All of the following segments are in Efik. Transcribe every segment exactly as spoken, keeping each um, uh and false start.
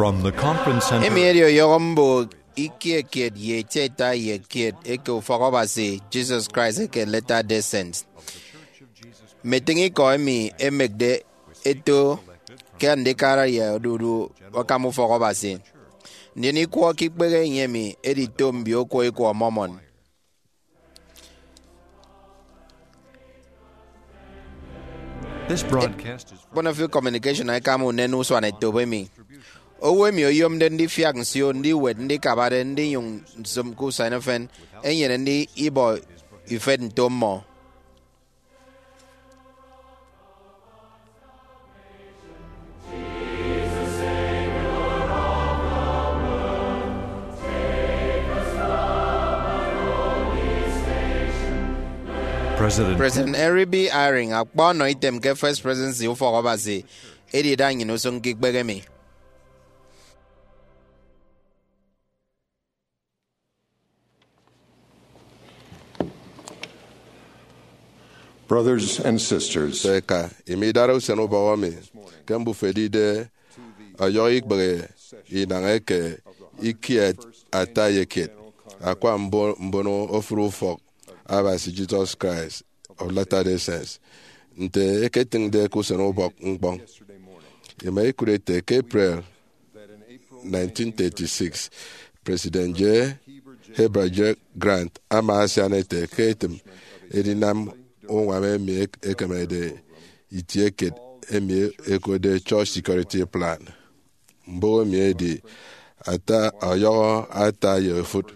From the conference center. Emi edi ọyọhọ mbụk ikie kiet ye eti ata ye kiet eke Ufọk Abasi Jesus Christ eke Latter-day Saints. Mme etịñ ikọ emi ẹmekde ẹto ke andikara ye odudu akam Ufọk Abasi, ndien ikwọ ke ikpehe enye emi edi to mbio okwọ ikwọ Mormon. This broadcast is Bonafide Communication ẹkam unen usuanetop emi. Owo emi oyomde ndifiak nsio ndiwet ndikabade ndinyụñ nsịm ke usen efen enyene ndibọ ifet nto mmọ. President President Henry B. Eyring akpa ọnọ item ke First Presidency Ufọk Abasi edi ida nnyịn usụñ ke ikpehe emi. Brothers and sisters, Eka, imi idara usen ubọk emi ke mbufo edide ọyọhọ ikpehe inañ eke ikiet ata ye kiet akwa mbo- mbono ofụri Ufọk Abasi Jesus Christ of Latter-day Saints, nte eketịñde ke usen ubọk ñkpọñ. Ima ikụt ete ke April nineteen thirty-six, President J. Heber J. Grant ama asian ete ke etịm edinam uñwam emi ek- ekemede itie kiet emi ẹkotde Church Security Plan. Mbụk emi edi ata ọyọhọ ata ye ofụt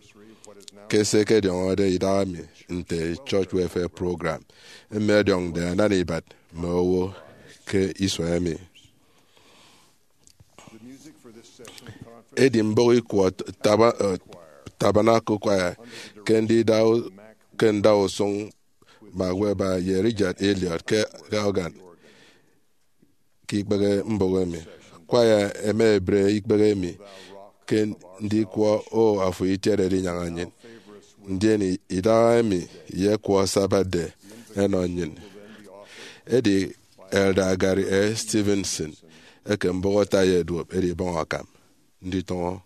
ke se ẹkediọñọde idaha emi nte Church Welfare Program emi ọdiọñde anana ibat mme owo ke isua emi. Edi mbụk ikwọ taba- eh, Tabernacle Choir ke ndida- ke ndausụñ Mark Webber ye Richard Elliott ke organ ke ikpehe mbụk emi. Choir ẹma ẹbre ikpehe emi ke ndikwọ O Afo Itiede Edinyaña Nnyịn, ndien idaha emi ye ikwọ Sabbath Day ẹnọ nnyịn. Edi Elder Gary A. Stevenson eke mbụk ata ye duop edibọñ akam nditọñọ.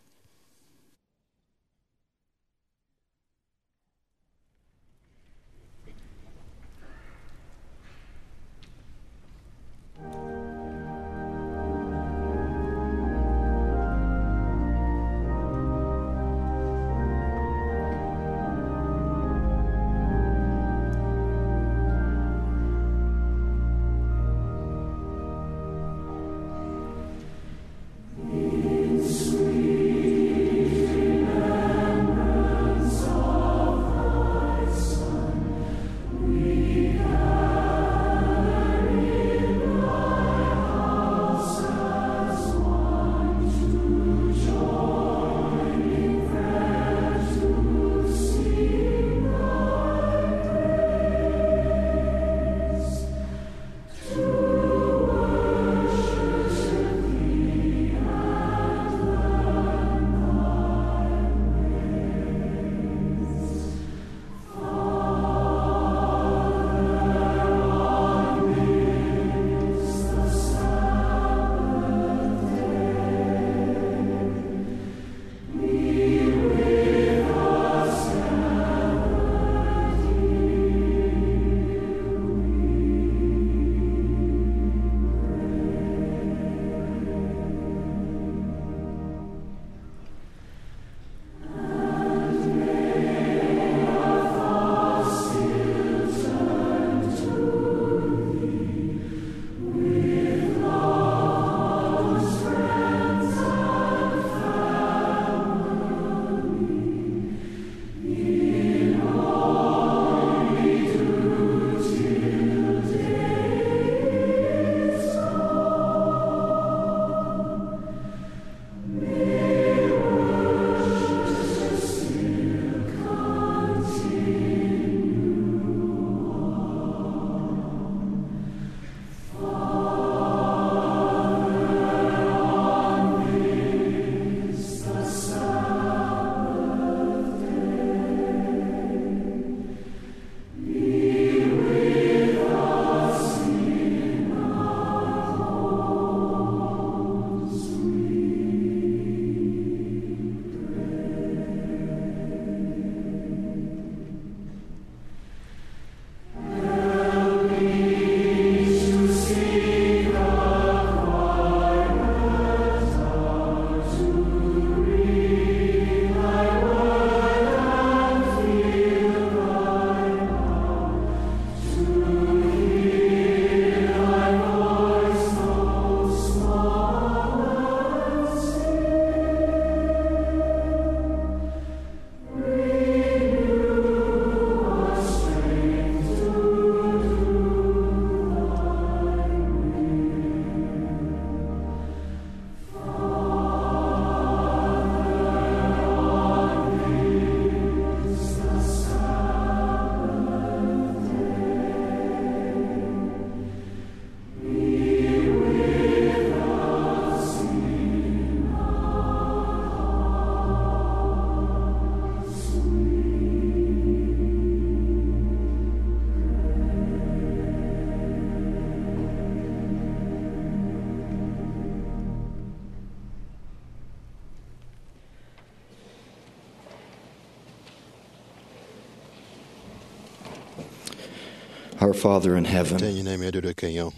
Our Father in heaven, Ete nnyịn emi odude ke enyọñ,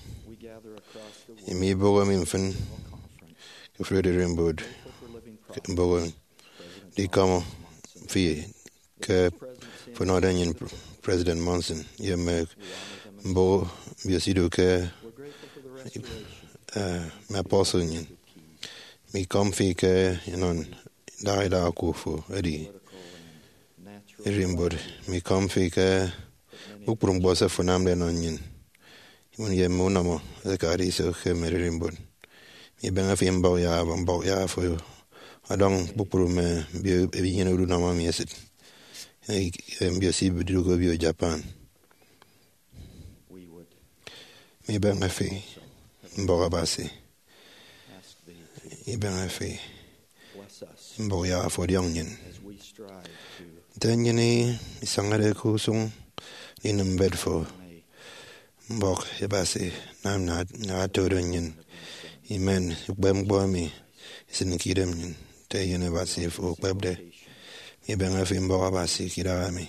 emi ibọhọ mi mfịn ke ofụri ererimbot ke mbọhọ mi ndikọm fi ke fo nọde nnyịn, President Monson, ye mme mbọhọ mbiosi ido ke, eh, mme apostle nnyịn. Mikọm fi ke inọ idaha idaha oku fo edi ererimbot. Mikọm fi ke kpukpru ñkpọ se fo anamde nọ nnyịn, iñwụt ye mme unọmọ ẹkade iso ke mme ererimbot. Mibeñe fi mbọk ya mbọk ya fo ọdọñ kpukpru mme mbio ebinyene orunọmọ mi esịt, eh, mbiosi idụk obio Japan. Mibeñe fi mbọk Abasi. Ibeñe fi mbọk ya fo ọdiọñ nnyịn. Nte nnyịn isañade ke usụñ ndinịm mbet fo, mbọk Abasi nam nnyịn ata odo nnyịn, imen ukpepñkpọ emi isịnke idem nnyịn, nte eyen Abasi fo okpepde. Mibeñe fi mbọk Abasi ke idaha mi,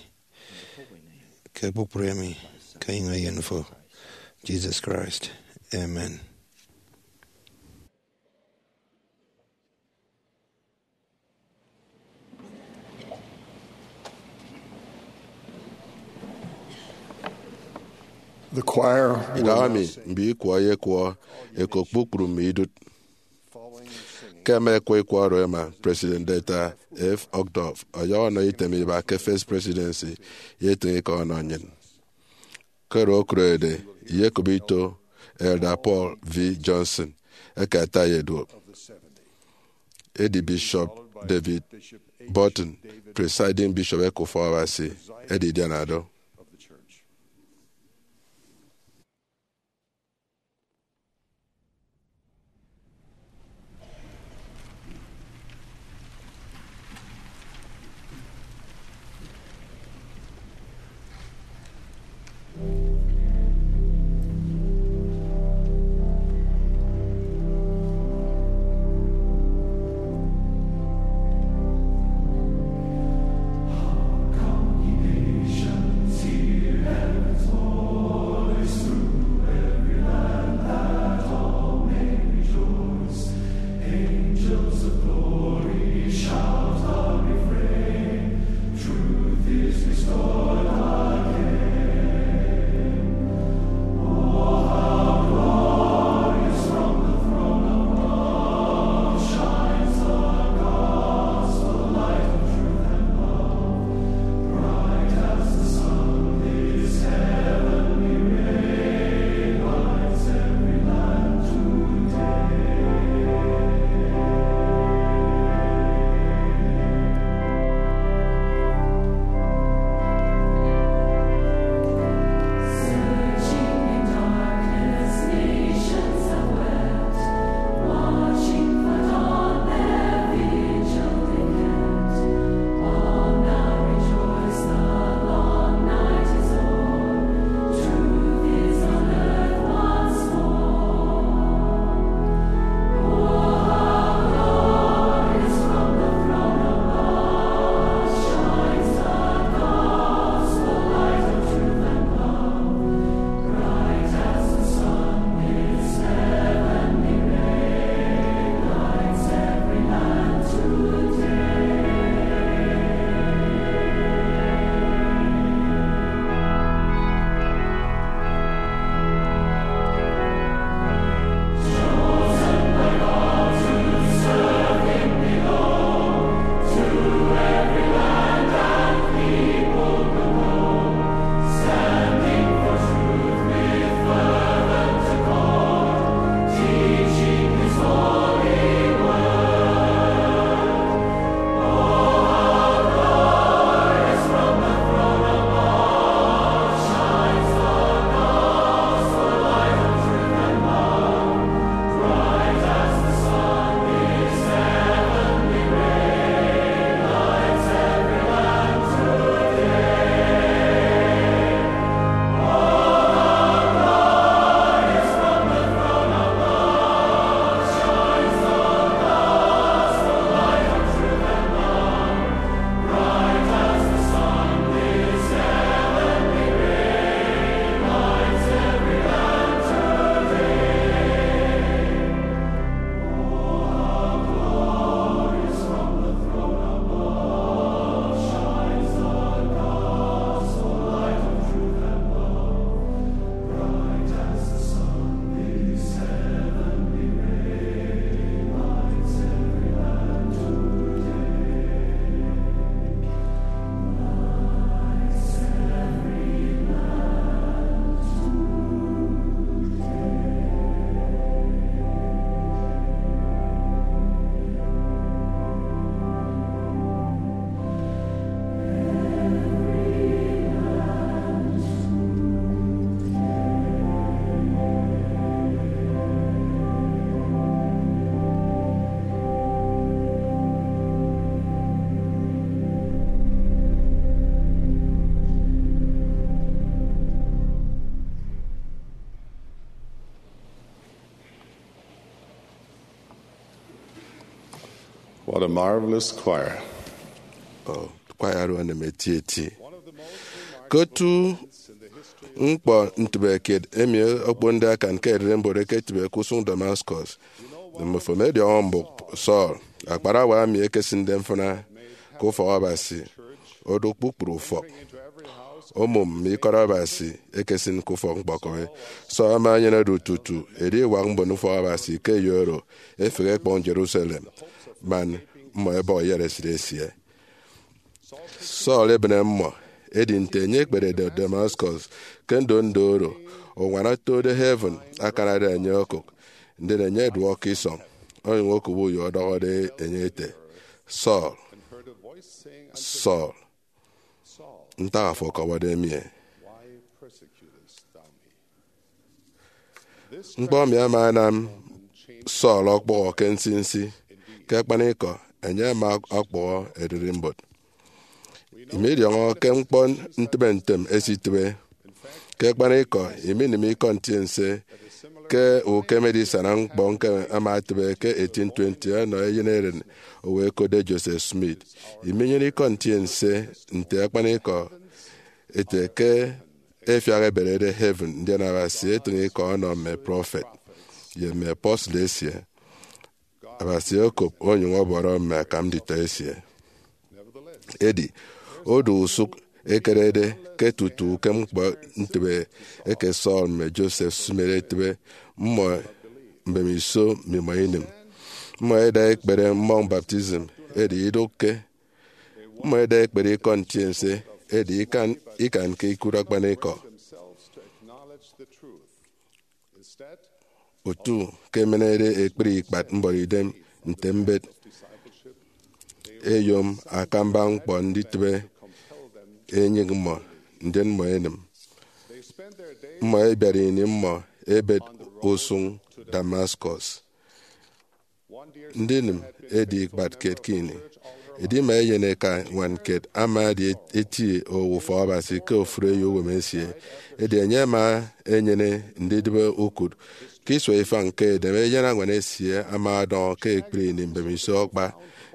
ke kpukpru emi, ke enyịñ eyen fo, Jesus Christ. Amen. The choir will Idaha now mi, sing. Mbikwọ ẹyekwọ ẹkop kpukpru mme idụt. Ke ẹma ẹkwọ ikwọ oro ẹma, President Dieter F. Uchtdorf ọyọhọ ọnọ item iba ke First Presidency ye etịñ ikọ ọnọ nnyịn. Koro okurede, iyekop ito Elder Paul V. Johnson, eke ata ye duop. Edi Bishop David Burton, Presiding Bishop eke Ufọkabasi, edidiana do. What a marvelous choir. Oh, kwaya oro enem eti eti. Ke otu ñkpọ ntịbe kiet emi okponde akan ke ererimbot eketịbe ke usụñ Damascus, mmofo midiọñọ mbụk Saul, akparawa emi ekesịnde mfịna ke ufọk Abasi, odụk kpukpru ufọk, omụm mme ikọt Abasi ekesịn ke ufọk ñkpọkọbi. Saul ama enyenede tutu ediwak mbon ufọk Abasi ke eyo oro efehe ekpọñ Jerusalem, man mmọ ẹbọhọ iyaresit esie. Saul ebịne mmọ, edi nte enye ekperede Damascus ke ndondo oro, uñwana otode heaven akanade enye okụk, ndien enye ọduọk ke isọñ, onyụñ okụbe uyo ọdọhọde enye ete, "Saul, Saul, ntak afo ọkọwọde mi?" Ñkpọ emi ama anam Saul ọkpụhọ ke nsinsi. Ke akpanikọ, enye ama ọkpụhọ ererimbot. Imidiọñọ ke ñkpọ ntịbe ntem esitịbe. Ke akpanikọ, iminịm ikọ ntiense ke ukem edisana ñkpọ ñkeme ama etịbe ke eighteen twenty ọnọ eyeneren owo ẹkotde Joseph Smith. Iminyene ikọ ntiense nte akpanikọ ete ke efiak eberede heaven, ndien Abasi etịñ ikọ ọnọ mme prọfet ye mme apostle esie. Abasi okop onyụñ ọbọrọ mme akam nditọ esie. Edi, odu usụk ekerede ke tutu ukem ñkpọ ntịbe eke Saul mme Joseph Smith etịbe, mmọ mbemiso mmimọ inịm. Mmọ ẹda ẹkpere mmọñ baptism, edi idụkke. Mmọ ẹda ẹkpere ikọ ntiense, edi ikan, ikanke ikụt akpanikọ. Otu ke emenede ekpri ikpat mbọrọidem nte mbet eyom akamba ñkpọ nditịbe enyịñ mmọ, ndien mmọ ẹnịm. Mmọ ẹbiat ini mmọ ẹbet usụñ Damascus. Ndinịm edi ikpat kiet ke ini. Edima eyen eka ñwan kiet ama edi eti owo ufọk Abasi ke ofụri eyouwem esie. Edi enye ama enyene ndidịbe ukụt. Ke isua ifañ ke edem, eyen añwan esie ama ọdọñọ ke ekpri ini mbemiso akpa.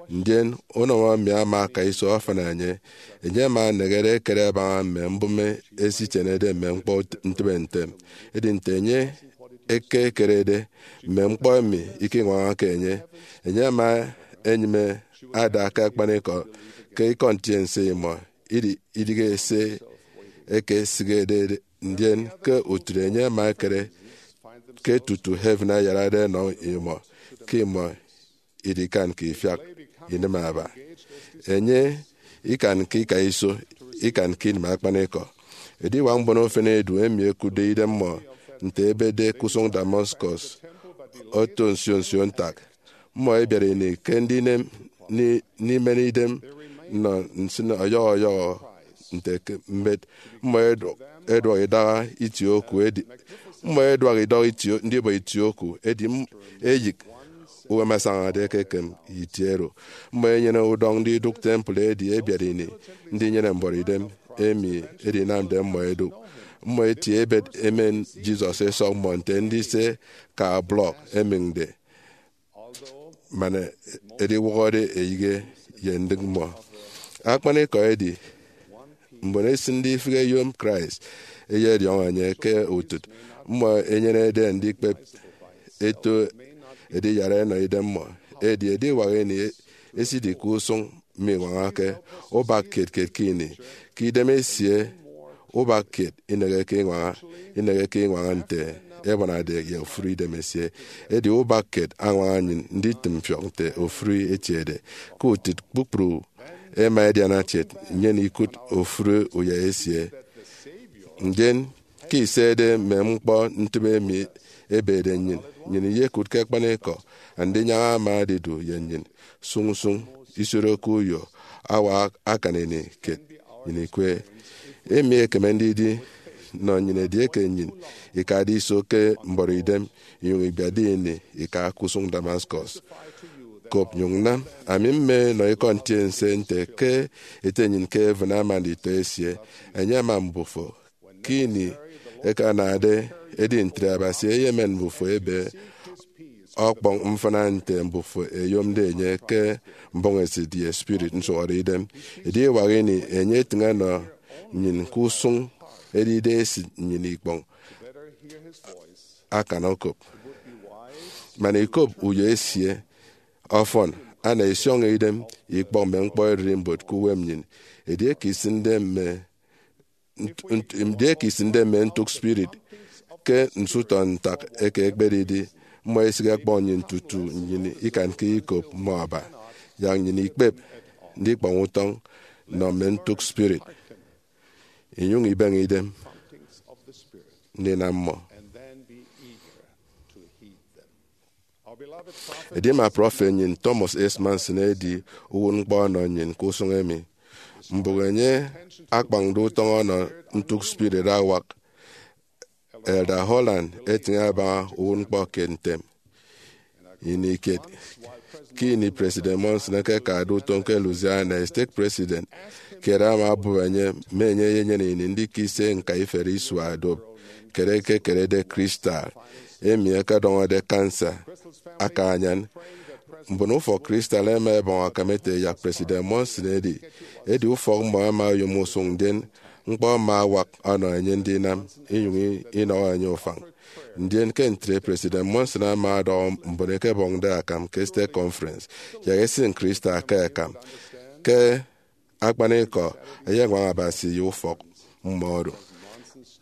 Ndien unọmọ mi ama aka iso afan enye. Enye ama enehede ekere abaña mme mbụme esitienede mme ñkpọ ntịbe ntem. Edi nte enye ekekerede mme ñkpọ emi ikiñwañake enye, enye ama enyịme ada ke akpanikọ ke ikọ ntiense imọ, idi-, idịghe se ekesịghede, ndien ke utịt enye ama ekere ke tutu heaven ayarade ẹnọ imọ, ke imọ idikanke ifiak inịm aba. Enye ikanke ika iso, ikanke inịm akpanikọ. Ediwak mbon efen edu emi ẹkụtde idemmọ nte ẹbetde ke usụñ Damascus oto nsio nsio ntak. Mmọ ẹbiat ini ke ndinem, ni-, ndimen idem nnọ nsịn ọyọhọ ọyọhọ nte ke mbet. Mmọ ẹdu-, ẹduọk idaha itie oku edi, mmọ ẹduak idọk itie, ndibọ itie oku edi m-, eyịk uwem asañade ekekem itie oro. Mmọ ẹnyene udọñ ndidụk temple edi ẹbiat ini ndinyene mbọrọidem emi edinamde mmọ ẹdụk. Mmọ ẹtie ẹbet ẹmen Jesus ẹsọk mmọ nte ndise ka blọk ẹmịñde, man ediwọhọde eyịghe ye ndịk mmọ. Akpanikọ edi, mbon esịnde ifịk eyom Christ ẹyediọñọ enye ke utịt mmọ ẹnyenede ndikpep eto ediyara ẹnọ idemmọ. Edi ediwak ini esidi ke usụñ miñwañake ubak kiet kiet ke ini. Ke idem esie, ubak kiet ineheke iñwaña, ineheke iñwaña nte ẹbuanade ye ofụri idemesie. Edi ubak kiet añwaña nnyịn nditịm mfiọk nte ofụri etiede. Ke utịt kpukpru ẹma ẹdiana kiet, nnyịn ikụt ofụri uyai esie. Ndien ke isede mme ñkpọ ntịbe emi ebede nnyịn, nnyịn iyekụt ke akpanikọ andinyaña ama adidu ye nnyịn sụñsụñ, isiodokke uyo, awa akan ini kiet nnyịn ikwe. Emi ekeme ndidi nnọ nnyịn edieke nnyịn ikade iso ke mbọrọidem, inyụñ ibiatde ini ika ke usụñ Damascus. Kop nyụñ nam. Ami mme nọ ikọ ntiense nte ke Ete nnyịn ke heaven ama nditọ esie. Enye ama mbufo ke ini ẹkanade. Edi ntre Abasi eyemen mbufo ebe ọkpọñ mfịna nte mbufo ẹyomde enye ke mbọhọidem ye spirit nsụhọdeidem. Ediwak ini enye etịñ ọnọ nnyịn ke usụñ edide esịt nnyịn ikpọñ akan okop. Man ikop uyo esie ọfọn, ana isiọñọ idem ikpọk mme ñkpọ ererimbot ke uwem nnyịn. Edieke isịnde mme nt- nt- edieke isịnde mme ntụk spirit ke nsụhọde ntak eke ekpedidi, mmọ isịk ẹkpọñ nnyịn tutu nnyịn ikanke ikop mmọ aba. Yak nnyịn ikpep ndikpọñ utọñ nnọ mme ntụk spirit, inyụñ ibeñe idem ndinam mmọ. Edi mme prọfet nnyịn, Thomas S. Monson, edi uwụtñkpọ ọnọ nnyịn ke usụñ emi. Mbụk enye akpañde utọñ ọnọ ntụk spirit awak. Elder Holland etịñ abaña uwụtñkpọ kiet ntem. Ini kiet, ke ini President Monson ekekade utom ke Louisiana, stake president kiet ama obụp enye mme enye eyenyene ini ndika ise ñka iferi isua odop kiet ekekerede crystal emi ẹkedọñọde cancer aka anyan. Mbon ufọk crystal ẹma ẹbọñ akam ẹte yak President Monson edi, edi ufọk mmọ ẹma oyom usụñ, ndien ñkpọ ama awak ọnọ enye ndinam, inyụñ inọhọ enye ufañ. Ndien ke ntre, President Monson ama ọdọhọ mbon ẹkebọñde akam ke stake conference yak ẹsịn crystal ke akam. Ke akpanikọ, ẹyeñwaña Abasi ye ufọk mmọ oro.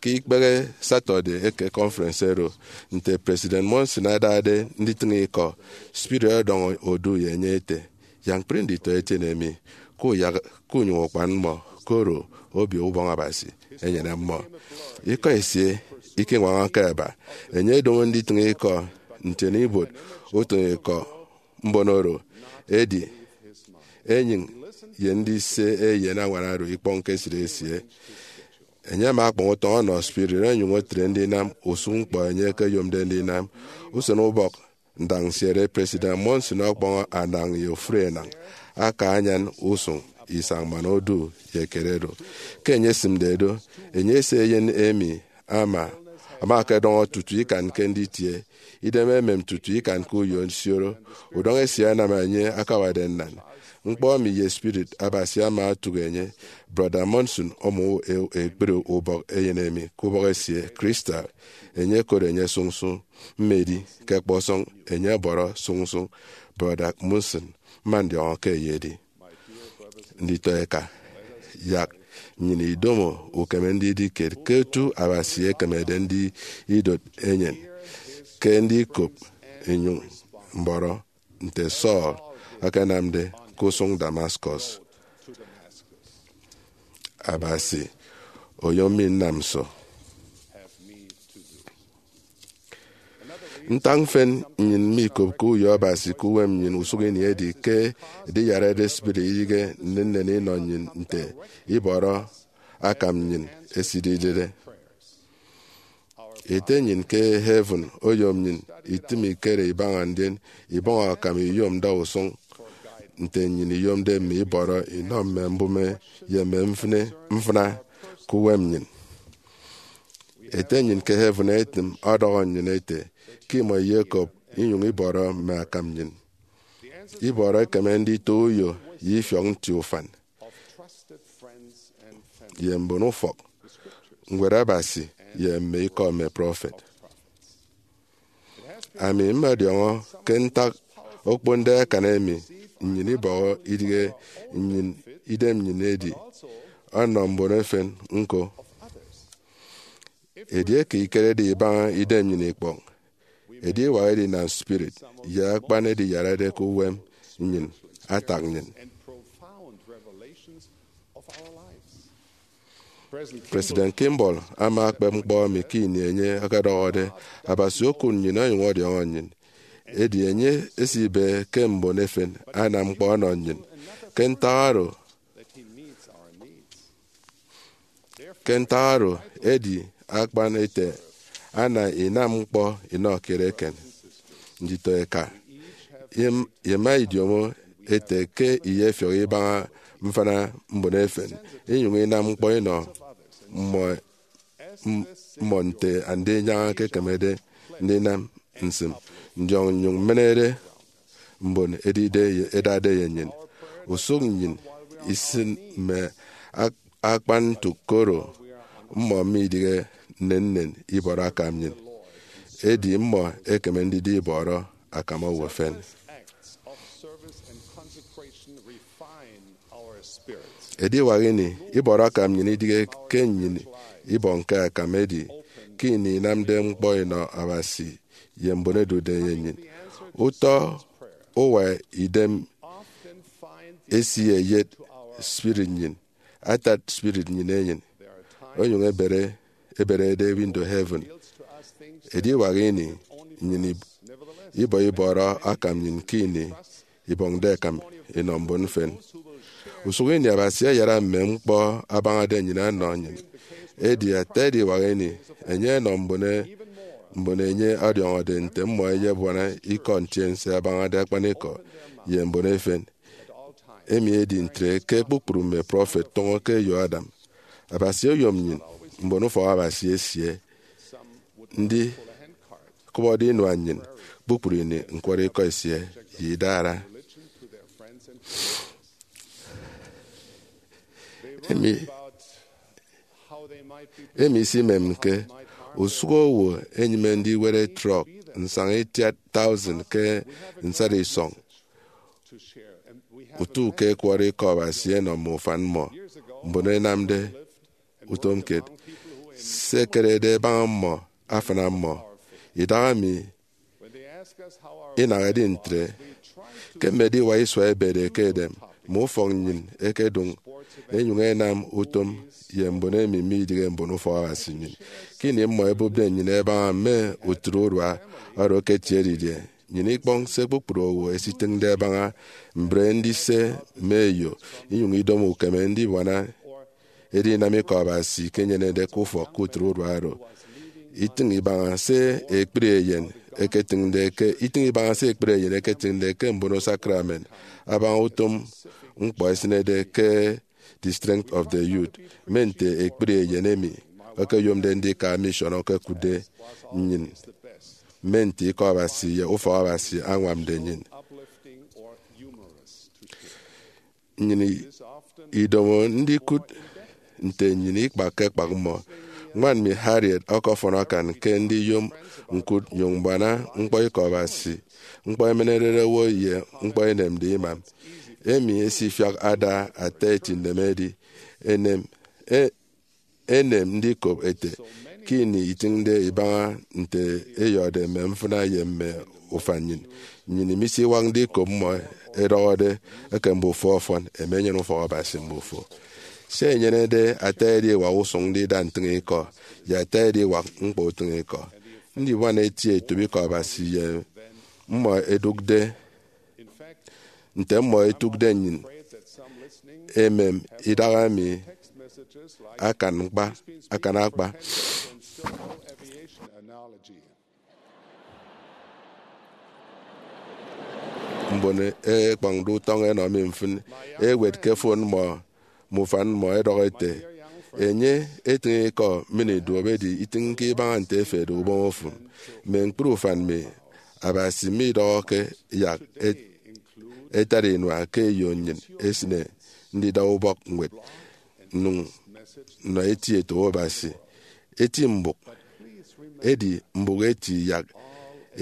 Ke ikpehe Saturday eke conference oro, nte President Monson adade nditịñ ikọ, spirit ọdọñ odu ye enye ete, Yak ñkpri nditọete emi, kuyak kunyụñ ukpan mmọ, koro Obio Ubọñ Abasi enyene mmọ. Ikọ esie ikiñwañake ẹba. Enye edomo nditịñ ikọ ntiene ibuot utịñikọ mbon oro, edi enyịñ ye ndise eyen añwan oro ikpọñke esịt esie. Enye ama akpañ utọñ ọnọ spirit onyụñ etre ndinam usụñ ñkpọ enye ekeyomde ndinam. Usen ubọk ndañnsiere, President Monson ọkpọñ anañ ye ofụri enañ aka anyan usụñ isañ man odu ye kiet oro. Ke enye esịmde do, enye ese eyen emi ama ama akedọñọ tutu ikanke nditie, idem emem tutu ikanke uyo nsioro. Udọñ esie anam enye akawade nnan. Ñkpọ emi ye spirit Abasi ama otụk enye. Brọda Monson ọmọ e- ekpri ubọk eyen emi ke ubọk esie, crystal. Enye ẹkot enye sụñsụñ. Mmedi ke ọkpọsọñ enye ẹbọrọ sụñsụñ Brọda Monson, mma ndiọñọ ke eyedi. Nditọ eka, yak nnyịn idomo ukeme ndidi kiet ke otu Abasi ekemede ndidot enyịn ke ndikop inyụñ mbọrọ nte Saul akanamde ke usụñ Damascus. Abasi oyom mi nnam nso? Ntak mfịn nnyịn mikopke uyo Abasi ke uwem nnyịn usụk ini edi ke ediyarade spirit idịghe nnennen inọ nnyịn nte ibọrọ akam nnyịn esididide. Ete nnyịn ke heaven oyom nnyịn itịm ikere ibaña ndien ibọñ akam iyom ndausụñ nte nnyịn iyomde mme ibọrọ inọ mme mbụme ye mme mfịna ke uwem nnyịn. Ete nnyịn ke heaven etịm ọdọhọ nnyịn ete ke imọ iyekop inyụñ ibọrọ mme akam nnyịn. Ibọrọ ekeme ndito uyo ye ifiọk nti ufan ye mbon ufọk, Ñwed Abasi, ye mme ikọ mme prọfet. Ami mmọdiọñọ ke ntak okponde akan emi nnyịn ibọhọ idịghe nnyịn idem nnyịn edi ọnọ mbon efen ñko. Edieke ikerede ibaña idem nnyịn ikpọñ, ediwak edinam spirit ye akpan ediyarade ke uwem nnyịn atak nnyịn. President Kimball ama akpep ñkpọ emi ke ini enye ọkọdọhọde, Abasi okụt nnyịn onyụñ ọdiọñọ nnyịn. Edi enye esibe ke mbon efen anam ñkpọ ọnọ nnyịn. Ke ntak oro, ke ntak oro, edi akpan ete ana inam ñkpọ inọ kiet eken. Nditọ eka, im- ima idiomo ete ke iyefiọk ibaña mfịna mbon efen, inyụñ inam ñkpọ inọ mmọ, m- mmọ nte andinyaña ekekemede ndinam nsịm. ndiọñ nnyụñ mmenere mbon edide ye, edade ye nnyịn. Usụk nnyịn isịn mme ak-, akpan ntụk koro mmọ midịghe nnennen ibọrọ akam nnyịn, edi mmọ ẹkeme ndidi ibọrọ akam owo efen. Ediwak ini, ibọrọ akam nnyịn idịghe ke nnyịn ibọñke akam edi ke ini inamde ñkpọ inọ Abasi ye mbon ẹdude ye nnyịn. Utọ uwa idem esie eyet spirit nnyịn, atat spirit nnyịn enyịn, onyụñ ebere, eberede window heaven. Ediwak ini nnyịn ib-, ibọ ibọrọ akam nnyịn ke ini ibọñde akam inọ mbon mfịn. Usụk ini Abasi ayara mme ñkpọ abañade nnyịn ọnọ nnyịn. Edi ata ediwak ini, enye enọ mbon e-, mbon enye ọdiọñọde nte mmọ ẹyebuana ikọ ntiense abañade akpanikọ ye mbon efen. Emi edi ntre ke kpukpru mme prọfet tụñọ ke eyo Adam. Abasi oyom nnyịn, mbon ufọk Abasi esie, ndikụbọde inua nnyịn kpukpru ini ñkwọrọ ikọ esie ye idara. Emi, emi isimemke usụk owo enyịme ndiwere trọk nsaña itiat thousand ke nsat isọñ, utu ke ẹkwọrọ ikọ Abasi ẹnọ mme ufan mmọ, mbon ẹnamde utom kiet. Se ẹkerede ẹbaña mmọ afịna mmọ. Idahaemi inaha edi ntre. Ke mme ediwak isua ẹbede ke edem, mme ufọk nnyịn ẹkedụñ ẹnyụñ ẹnam utom ye mbon emi midịghe mbon ufọk Abasi nnyịn. Ke ini mmọ ẹbụpde nnyịn ẹbaña mme utịt urua oro ẹketiede didie, nnyịn ikpọñ se kpukpru owo ẹsitịñde ẹbaña mbre ndise mme eyo, inyụñ idomo ukeme ndibuana edinam ikọ Abasi ke inyenede ke ufọk ke utịt urua oro. Itịñ ibaña se ekpri eyen eketịñde ke, itịñ ibaña se ekpri eyen eketịñde ke mbono sakramen abaña utom ñkpọ ẹsịnede ke The Strength of the Youth, mme nte ekpri eyen emi ẹkeyomde ndika mission ẹkekụtde nnyịn, mme nte ikọ Abasi ye ufọk Abasi añwamde nnyịn. Nnyịn idomo ndikụt nte nnyịn ikpakke ekpak mmọ. Ñwan mi Harriet ọkọfọn akan ke ndiyom ñkụt nnyụñ mbuana ñkpọ ikọ Abasi, ñkpọ emenerede owo ye ñkpọ enemde imam. Emi esifiak ada ata eti nneme edi enem, e, enem ndikop ete ke ini itịñde ibaña nte eyọhọde mme mfịna ye mme ufan nnyịn, nnyịn misiwak ndikop mmọ ẹdọhọde eke mbufo ọfọn, ẹmi ẹnyene ufọk Abasi mbufo. Se ẹnyenede ata ediwak usụñ ndida ntịñikọ ye ata ediwak ñkpọ utịñikọ. Ndibuana eti etop ikọ Abasi ye mmọ ẹdụkde nte mmọ ẹtụkde nnyịn emem idahaemi akan ñkpa, akan akpa. Mbon ẹkpọñde utọñ ẹnọ mi mfịn, ẹwet ke fon mmọ, mme ufan mmọ ẹdọhọ ẹte, enye etịñ ikọ mmịn iduop edi itịñke ibaña nte efede ubọñ ofụm. Mme ñkpri ufan mi, Abasi midọhọke yak e-, ẹtara inua ke eyo nnyịn esịne ndida ubọk ñwed nnyụñ nnọ eti etop Abasi, eti mbụk, edi mbụk eti yak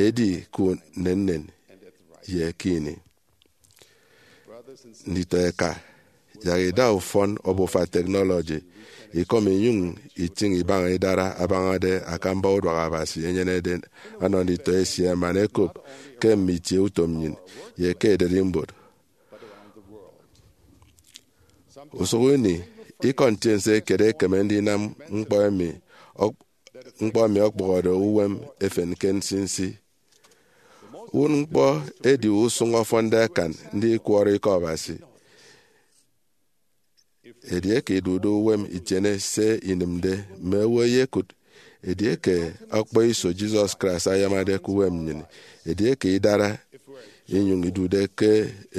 edi ke unennen ye ke ini. Nditọ eka, yak ida ufọn obufa technology, ikọm inyụñ itịñ ibaña idara abañade akamba uduak Abasi enyenede ọnọ nditọ esie man ẹkop ke mme itieutom nnyịn ye ke ererimbot. Usụk ini, ikọ ntiense kiet ekeme ndinam ñkpọ emi, ñkpọ emi ọkpụhọde uwem efen ke nsinsi. Uwụtñkpọ edi usụñ ọfọnde akan ndikwọrọ ikọ Abasi. Edieke idude uwem itiene se inịmde, mme owo ẹyekụt edieke ọkpọiso Jesus Christ ayamade ke uwem nnyịn. Edieke idara inyụñ idude ke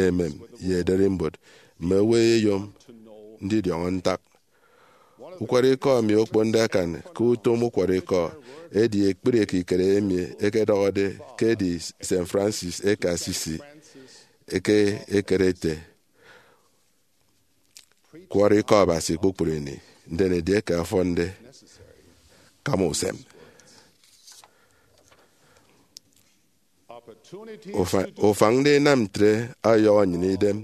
emem ye ererimbot, mme owo ẹyeyom ndidiọñọ ntak. Ukwọrọikọ emi okponde akan ke utom ukwọrọikọ edi ekpri ekikere emi ẹkedọhọde ke edi Saint Francis eke Assisi eke ekere ete, Kwọrọ ikọ Abasi kpukpru ini, ndien edieke ọfọnde, kam usem. Ufa- ufañ ndinam ntre ọyọhọ nnyịn idem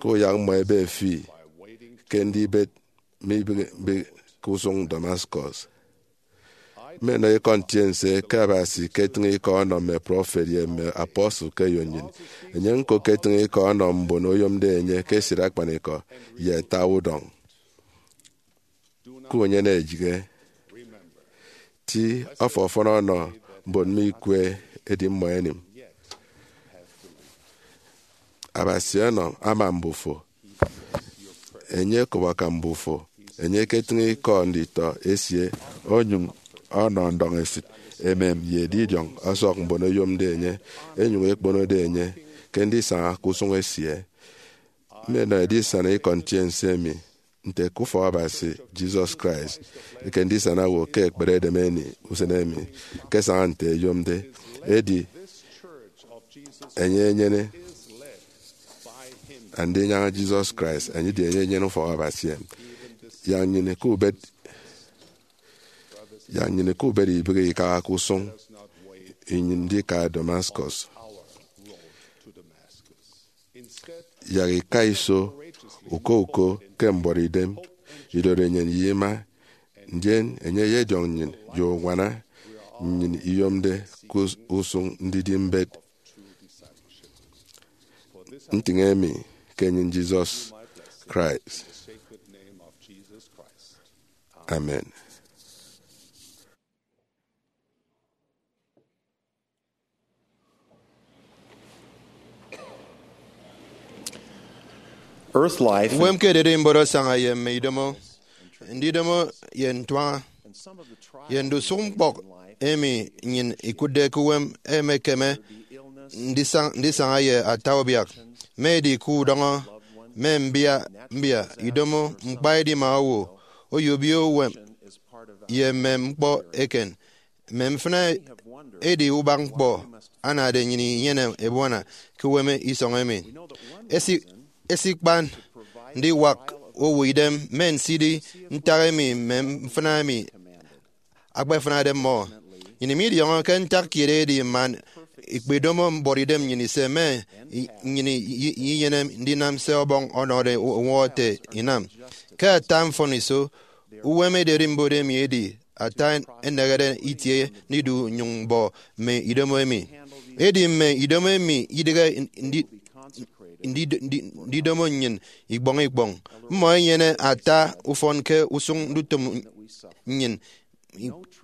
ke uyak mmọ ebe fi ke ndibet mme ibịghibịghi ke usụñ Damascus. Mmenọ ikọ ntiense ke Abasi eketịñ ikọ ọnọ mme prọfet ye mme apostle ke eyo nnyịn. Enye ñko eketịñ ikọ ọnọ mbon oyomde enye ke esịt akpanikọ ye ata udọñ. Kunyene eyịghe. Ti ọfọfọn ọnọ mbon mme ikwe edi mmọ ẹnịm. Abasi ọnọ ama mbufo. Enye okobaka mbufo. Enye eketịñ ikọ nditọ esie, onyụñ ọnọ ndọñesịt, emem, ye edidiọñ ọsọk mbon oyomde enye, ẹnyụñ ẹkponode enye ke ndisaña ke usụñ esie. Mmenọ edisana ikọ ntiense emi nte ke ufọk Abasi Jesus Christ eke ndisana owo ke ekpere edem emi, usen emi, ke saña nte eyomde. Edi enye enyene Andinyaña Jesus Christ, enye edi enye enyene ufọk Abasi emi. Yak nnyịn ke ubet, yak nnyịn ke ubet ibịghi ikaha ke usụñ nnyịn ndika Damascus. Yak ika iso uko uko ke mbuọtidem, idori nnyịn ye ima, ndien enye eyediọñ nnyịn ye uñwana nnyịn iyomde ke us- usụñ ndidi mbet. Ntịñ emi ke enyịn Jesus Christ. Amen. Earth life. Uwem ke ererimbot asaña ye mme idomo, ndidomo ye ntuaña, ye ndusụk ñkpọk emi nnyịn ikụtde ke uwem emekeme ndisañ- ndisaña ye ata ubiak, mme edi ke udọñọ mme mbia mbia, idomo, ñkpa edima owo, oyobio uwem, ye mme ñkpọ eken. Mme mfịna edi ubak ñkpọ anade nnyịn inyene ebuana ke uwem isọñ emi. Esi- esikpan ndiwak owo idem mme nsidi ntak emi mme mfịna emi akpafịnade mmọ. Nnyịn midiọñọke ntak kiet edi man ikpedomo mbuọtidem nnyịn ise, mme i- nnyịn i- i- inyene ndinam se Ọbọñ ọnọde owo ete inam. Ke ata mfọniso, uwem ererimbot emi edi ata ẹnehede itie ndidu nnyụñ mbọ mme idomo emi. Edi mme idomo emi idịghe ndi- ndi- ndi- ndidomo nnyịn ikpọñ ikpọñ. Mmọ ẹnyene ata ufọn ke usụñ ndutịm nnyịn,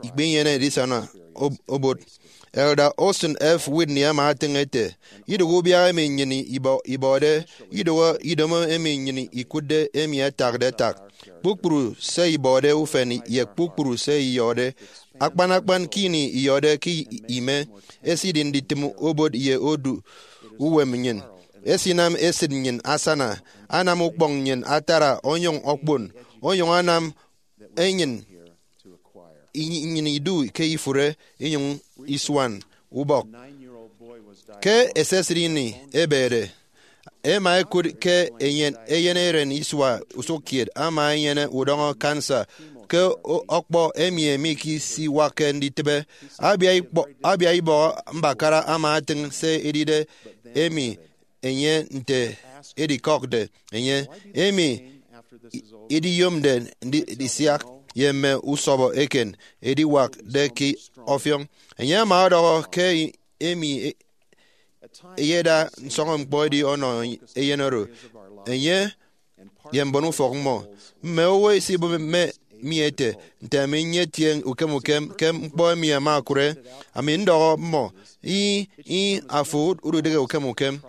ikpinyene edisana ob- obot. Elder Austin F. Whitney ama etịñ ete, idụhe ubiak emi nnyịn ibọ- ibọde, idụhe idomo emi nnyịn ikụtde emi ẹtakde ẹtak, kpukpru se ibọde ufen ye kpukpru se iyọde, akpan akpan ke ini iyọde ke i- ime, esidi nditịm obot ye odu uwem nnyịn. Esinam esịt nnyịn asana, anam ukpọñ nnyịn atara, onyụñ okpon, onyụñ anam enyịn i- nnyịn idu ke ifụre inyụñ isuan ubọk. Ke esesịt ini ebede, ẹma ẹkụt ke eyen, eyen eren isua usụkkiet ama enyene udọñọ kansa ke o- ọkpọ emi, emi ikisiwakke nditịbe. Abia ikpọ- abia ibọhọ mbakara ama etịñ se edide emi enye nte edikọkde enye, emi i- idiyomde ndi- ndisiak ye mme usọbọ eken ediwakde ke ọfiọñ. Enye ama ọdọhọ ke emi e- eyeda nsọñọñkpọ edi ọnọ eyen oro, enye ye mbon ufọk mmọ. Mme owo ẹsibụp mme mi ẹte, nte ami nyetie ukem ukem ke ñkpọ emi ẹma ẹkụre? Ami ndọhọ mmọ, ih, ih, afo ududịghe ukem ukem.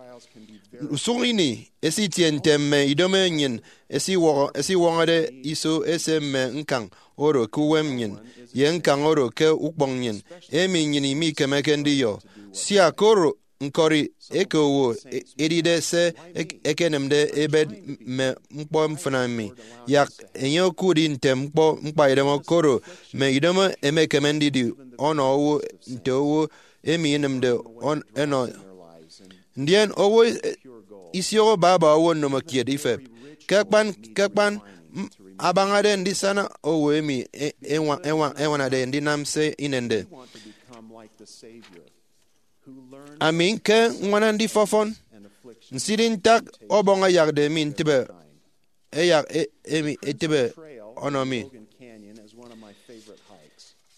Usụñ ini esitie nte mme idomo nnyịn ẹsiwọñọ- ẹsiwọñọde iso ẹse mme ñkañ oro ke uwem nnyịn, ye ñkañ oro ke ukpọñ nnyịn, emi nnyịn mikemeke ndiyọ. Sia koro ñkọri eke owo e-, edide se ek-, ekenịmde ebet mme ñkpọ mfịna mi. Yak enye okudi nte ñkpọ ñkpaidem, koro mme idomo emekeme ndidi ọnọ owo nte owo emi inịmde ọn-, enọ. Ndien owo isioho baba owo nnomokiet ifep. Ke akpan, ke akpan, m-, abañade ndisana owo emi e-, enwa-, enwa-, enwanade ndinam se inende. Ami ke ññwana ndifọfọn, nsidi ntak ọbọñ ẹyakde mi ntịbe, ẹyak e-, emi etịbe ọnọ mi.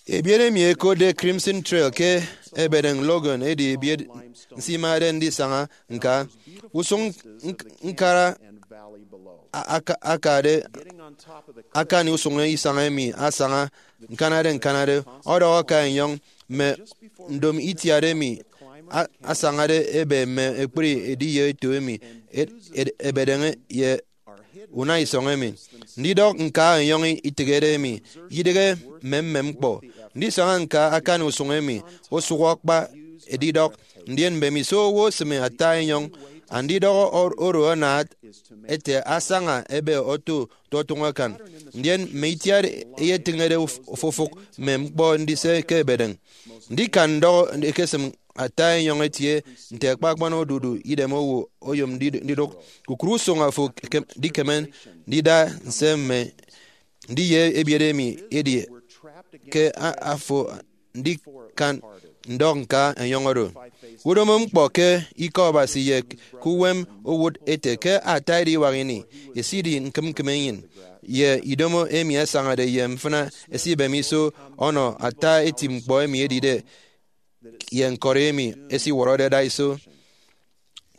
Ebiet emi ẹkotde Crimson Trail ke Ebedeñ Logan edi ebiet nsimade ndisaña ñka. Usụñ ñk-, ñkara a-, aka-, akade, akani usụñ isañ emi asaña ñkanade ñkanade, ọdọhọ aka enyọñ mme ndom itiat emi a-, asañade ebe mme ekpri ediye eto emi ed-, ed-, ebedeñe ye unaisọñ emi. Ndidọk ñka enyọñ itịghede emi, idịghe mme mme ñkpọ. Ndisaña ñka akani usụñ emi osụhọ kpa edidọk, ndien mbemiso owo osịme ata enyọñ. Andidọk o-, oro anaat ete asaña ebe oto totụñọ akan, ndien mme itiat eyetịñede uf-, ofụfụk mme ñkpọ ndise ke ebedeñ. Ndikan ndọhọ ekesịm ata enyọñ etie nte akpakpan odudu idem owo oyom ndi-, ndidụk. Kukụre usụñ afo ke-, dikeme ndida nse mme ndiye ebiet emi edi ke a-, afo ndikan ndọk ñka enyọñ oro. Udomo ñkpọ ke Ikọ Abasi ye ke uwem owụt ete ke ata ediwak ini esidi ñkịm ñkịm enyịn, ye idomo emi asañade ye mfịna esibem iso ọnọ ata eti ñkpọ emi edide ye ñkọri emi esiwọrọde daiso.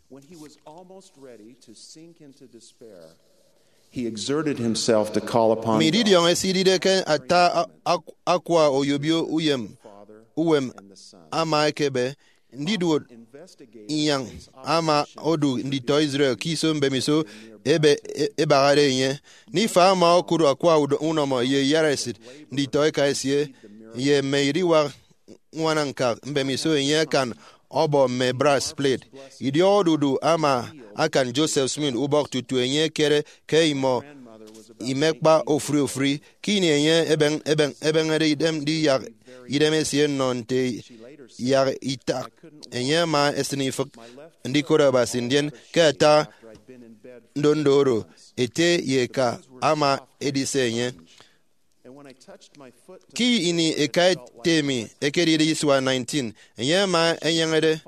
When he was almost ready to sink into despair, he exerted himself to call upon Mme God. Ididiọñ esidide ke ata a-, ak-, akwa oyobio uyem uwem ama ekebe ndiduot inyañ ama odu nditọ Israel ke iso mbemiso ebe-, e-, ebahade enye. Nifa ama okụt akwa udo-, unọmọ ye iyaresit nditọ eka esie ye mme ediwak ñwanañkak mbemiso enye akan ọbọ mme brass plate. Idiọk odudu ama akan Joseph Smith ubọk tutu enye ekere ke imọ imekpa ofụri ofụri. Ke ini enye ebeñ-, ebeñ-, ebeñede idem ndiyak idem esie nnọ nte yak itak, enye ama esịn ifịk ndikot Abasi, ndien ke ata ndondo oro, ete ye eka ama edise enye. Ke ini eka ete mi ekedide isua nineteen, enye ama enyeñede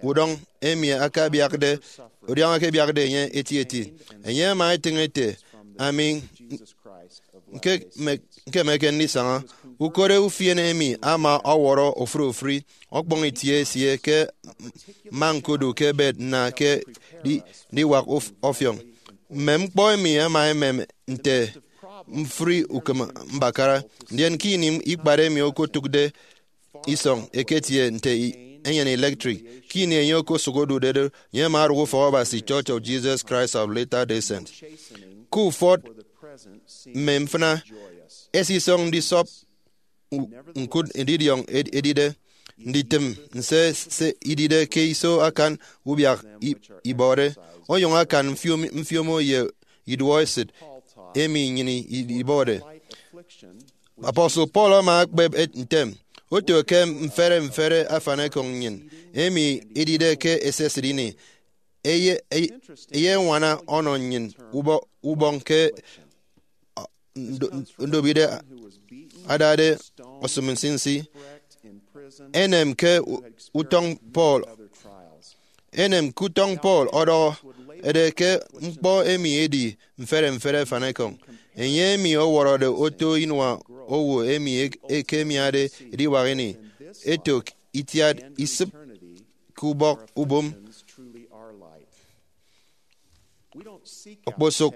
udọñ emi akabiakde, udọñ akabiakde enye etieti. Enye ama etịñ ete, ami ñke-, me-, ñkemeke ndisaña. Ukot ufien emi ama ọwọrọ ofụri ofụri ọkpọñ itie esie ke mma ñkodu ke bed nna ke di-, ndiwak of-, ọfiọñ. Mme ñkpọ emi ama emem nte mfri ukeme mbakara. Ndien ke ini ikpat emi okotụkde isọñ eketie nte i-, enyịn electric, ke ini enye okosụk odude do, enye ama odụk ufọk Abasi Church of Jesus Christ of Latter-day Saints. Ke ufọt mme mfịna, esisọñ ndisọp u-, ñkụt ndidiọñ ed-, edide nditịm nse se idide ke iso akan ubiak i-, ibọde, onyụñ akan mfiom-, mfiomo ye iduọesịt emi nnyịn i-, ibọde. Apostle Paul ama ekpep et-, ntem, oto ke mfere mfere afanekọñ nnyịn, emi edide ke esesịt ini, eye-, eye-, eyeñwana ọnọ nnyịn ubọ-, ubọñ ke ndo-, ndobide adade osịm nsinsi. Enem ke u-, utọñ Paul, enem ke utọñ Paul ọdọhọ ede ke ñkpọ emi edi mfere mfere afanekọñ. Enye emi ọwọrọde oto inua owo emi ek-, ekemiade ediwak ini, eto itiat isịp ke ubọk ubom. Okposụk,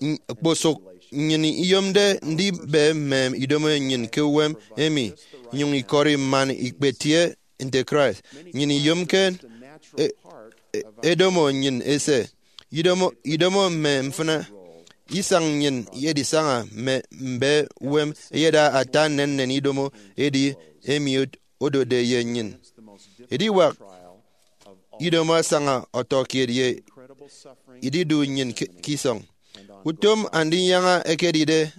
n-, okposụk nnyịn iyomde ndibe mme idomo nnyịn ke uwem emi, inyụñ ikọri man ikpetie nte Christ. Nnyịn iyomke e-, e-, edomo nnyịn ese. Idomo, idomo mme mfịna isañ nnyịn ye edisaña mme mbe uwem eyeda ata nnennen idomo edi emi odotde ye nnyịn. Ediwak idomo asaña ọtọ kiet ye ididu nnyịn ke ke isọñ. Utom Andinyaña ekedide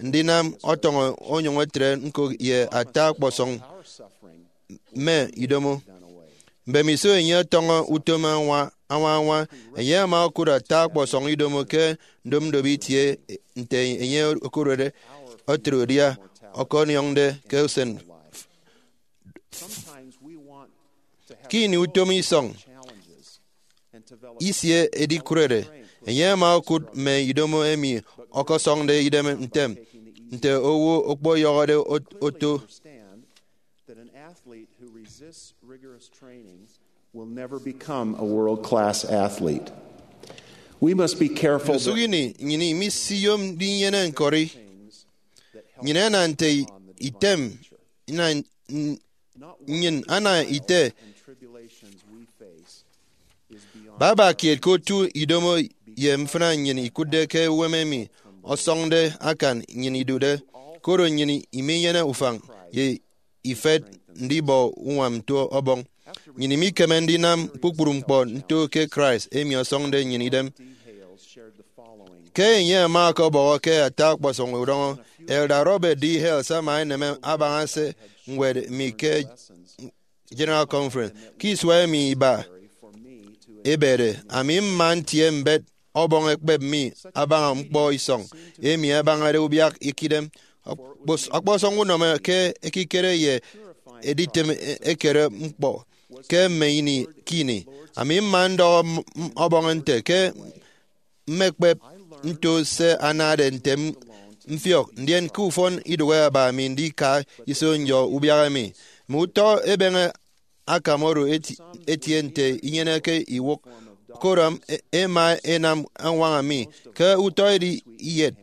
ndinam ọtọñọ onyụñ etre ñko ye ata ọkpọsọñ mme idomo. Mbemiso enye ọtọñọ utom añwa añwa, enye ama okụt ata ọkpọsọñ idomo ke ndomdobo itie nte enye okụrede etre udia ọkọniọñde ke usen. Ke ini utom isọñ isie edikụrede, enye ama okụt mme idomo emi ọkọsọñde idem ntem nte owo okpoyọhọde ot- oto. That an athlete who resists rigorous training will never become a world class athlete. We must be careful Ndusụk ini nnyịn imisiyom ndinyene ñkọri. Nnyịn ana nte item ina- n- nnyịn ana ite baba kiet ke otu idomo ye mfịna nnyịn ikụtde ke uwem emi ọsọñde akan nnyịn idude, koro nnyịn iminyene ufañ ye ifet ndibọ uñwam nto Ọbọñ. Nnyịn imikeme ndinam kpukpru ñkpọ nto ke Christ emi ọsọñde nnyịn idem. Ke enye ama ọkọbọhọ ke ata ọkpọsọñ udọñọ, Elder Robert D. Hales ama enem abaña se ñwed mi ke General Conference. Ke isua emi iba ebede, ami mma ntie mbet Ọbọñ ekpep mi abaña ñkpọ isọñ emi abañade ubiak ikidem. Ọkpọs- ọkpọsọñ unọmọ ke ekikere ye editịm e- ekere ñkpọ ke mme ini ke ini. Ami mma ndọhọ m- m- Ọbọñ nte ke mmekpep nto se anade nte m- mfiọk, ndien ke ufọn idụhe aba mi ndika iso nyọ ubiak emi. Mme utọ ebeñe akam oro eti- etie nte inyeneke iwụk, koro e- ema enam añwaña mi ke utọ edi iyet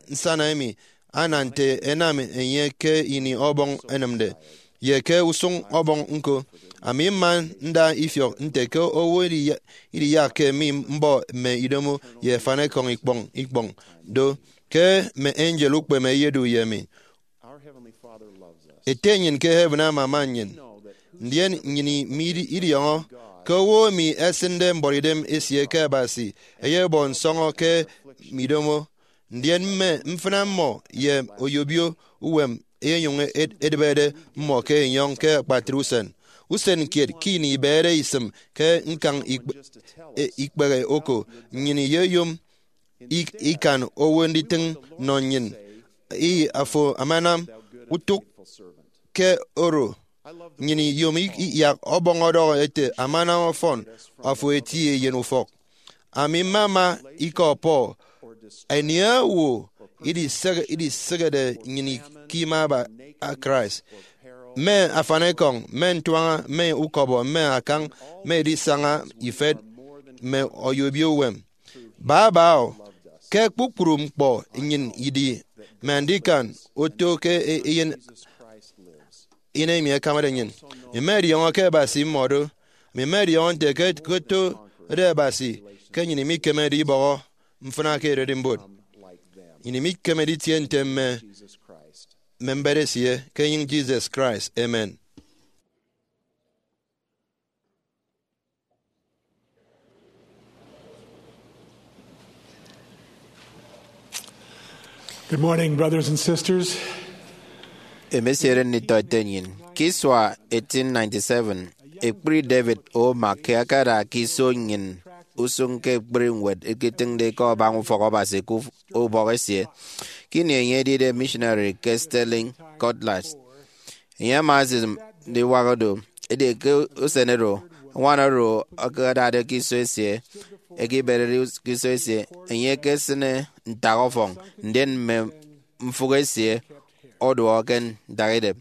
nsana emi ana nte enam enye ke ini Ọbọñ enịmde, ye ke usụñ Ọbọñ ñko. Ami mma nda ifiọk nte ke owo idiya- idiyakke mi mbọ mme idomo ye afanekọñ ikpọñ ikpọñ do, ke mme angel ukpeme ẹyedu ye mi. Ete nnyịn ke heaven amama nnyịn, ndien nnyịn mididiọñọ ke owo emi esịnde mbuọtidem esie ke Abasi eyebọ nsọñọ ke midomo, ndien mme mfịna mmọ ye oyobio uwem eyenyụñ ed- edịbede mmọ ke enyọñ ke akpatre usen. Usen kiet ke ini ibehede isịm ke ñkañ ikp- e- ikpehe oko, nnyịn iyeyom ik- ikan owo nditịñ nnọ nnyịn, ih, afo amanam utụk ke oro. Nnyịn iyom i- iyak Ọbọñ ọdọhọ ete, amanam ọfọn, afo eti eyen ufọk. Ami mmama ikọ Paul, anie owo idisek- idisịkede nnyịn ke ima aba Christ? Mme afanekọñ, mme ntuaña, mme ukọbọ, mme akañ, mme edisaña ifet, mme oyobio uwem. Baba o, ke kpukpru ñkpọ nnyịn idi mme andikan oto ke e- eyen ini emi ẹkamade nnyịn. Emi ẹdiọñọ ke Abasi mmọdo. Emi ẹdiọñọ nte ke ke otode Abasi ke nnyịn imikemede ibọhọ mfịna ke ererimbot. Nnyịn imikemede itie nte mme mme mbet esie ke enyịñ Jesus Christ. Amen. Good morning, brothers and sisters. Emesiere nditọ ete nnyịn. Ke isua eighteen ninety-seven, ekpri David O. McKay akada ke iso nnyịn usụñ ke ekpri ñwed ẹketịñde ke abaña ufọk Abasi ke uf- ubọk esie. Ke ini enye edide missionary ke Stirling, Scotland, enye ama esisịm ndiwak do. Edieke usen oro, añwan oro ẹkedade ke iso esie, ẹkeberede ke iso esie, enye ekesịne ntak ọfọñ, ndien mme mfụk esie ọduọhọ ke ntak idep.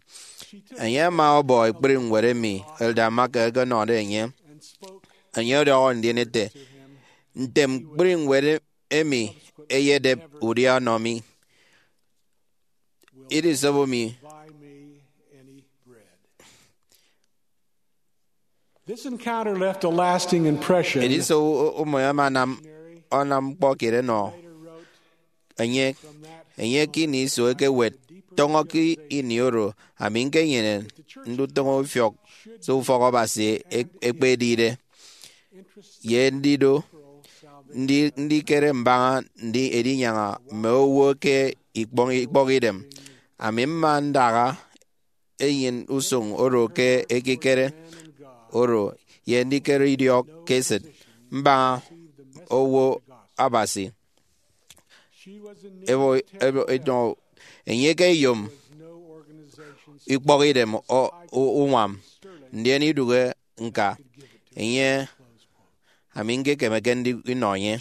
Enye ama ọbọ ekpri ñwed emi Elder Mark ẹkenọde enye. Enye ọdọhọ ndien ete, ntem kpri ñwed emi eyedep udia ọnọ mi. Idisobo mi. This encounter left a lasting impression. Ediso umo ama anam ọnam ñkpọ kiet ẹnọ enye. Enye ke ini iso ekewet, tọñọ ke ini oro ami ñkenyene ndutịm ifiọk se ufọk Abasi e-, ekpedide, ye ndidu ndi-, ndikere mbaña ndi-, edinyaña mme owo ke ikpọñ-, ikpọkidem. Ami mma ndaha enyịn usụñ oro ke ekikere oro ye ndikere idiọk ke esịt mbaña owo Abasi. Evo, evo, eto, enye ke eyom ikpọkidem o-, u-, uñwam, ndien idụhe ñka enye, ami ñkekemeke ndi-, ndinọ enye.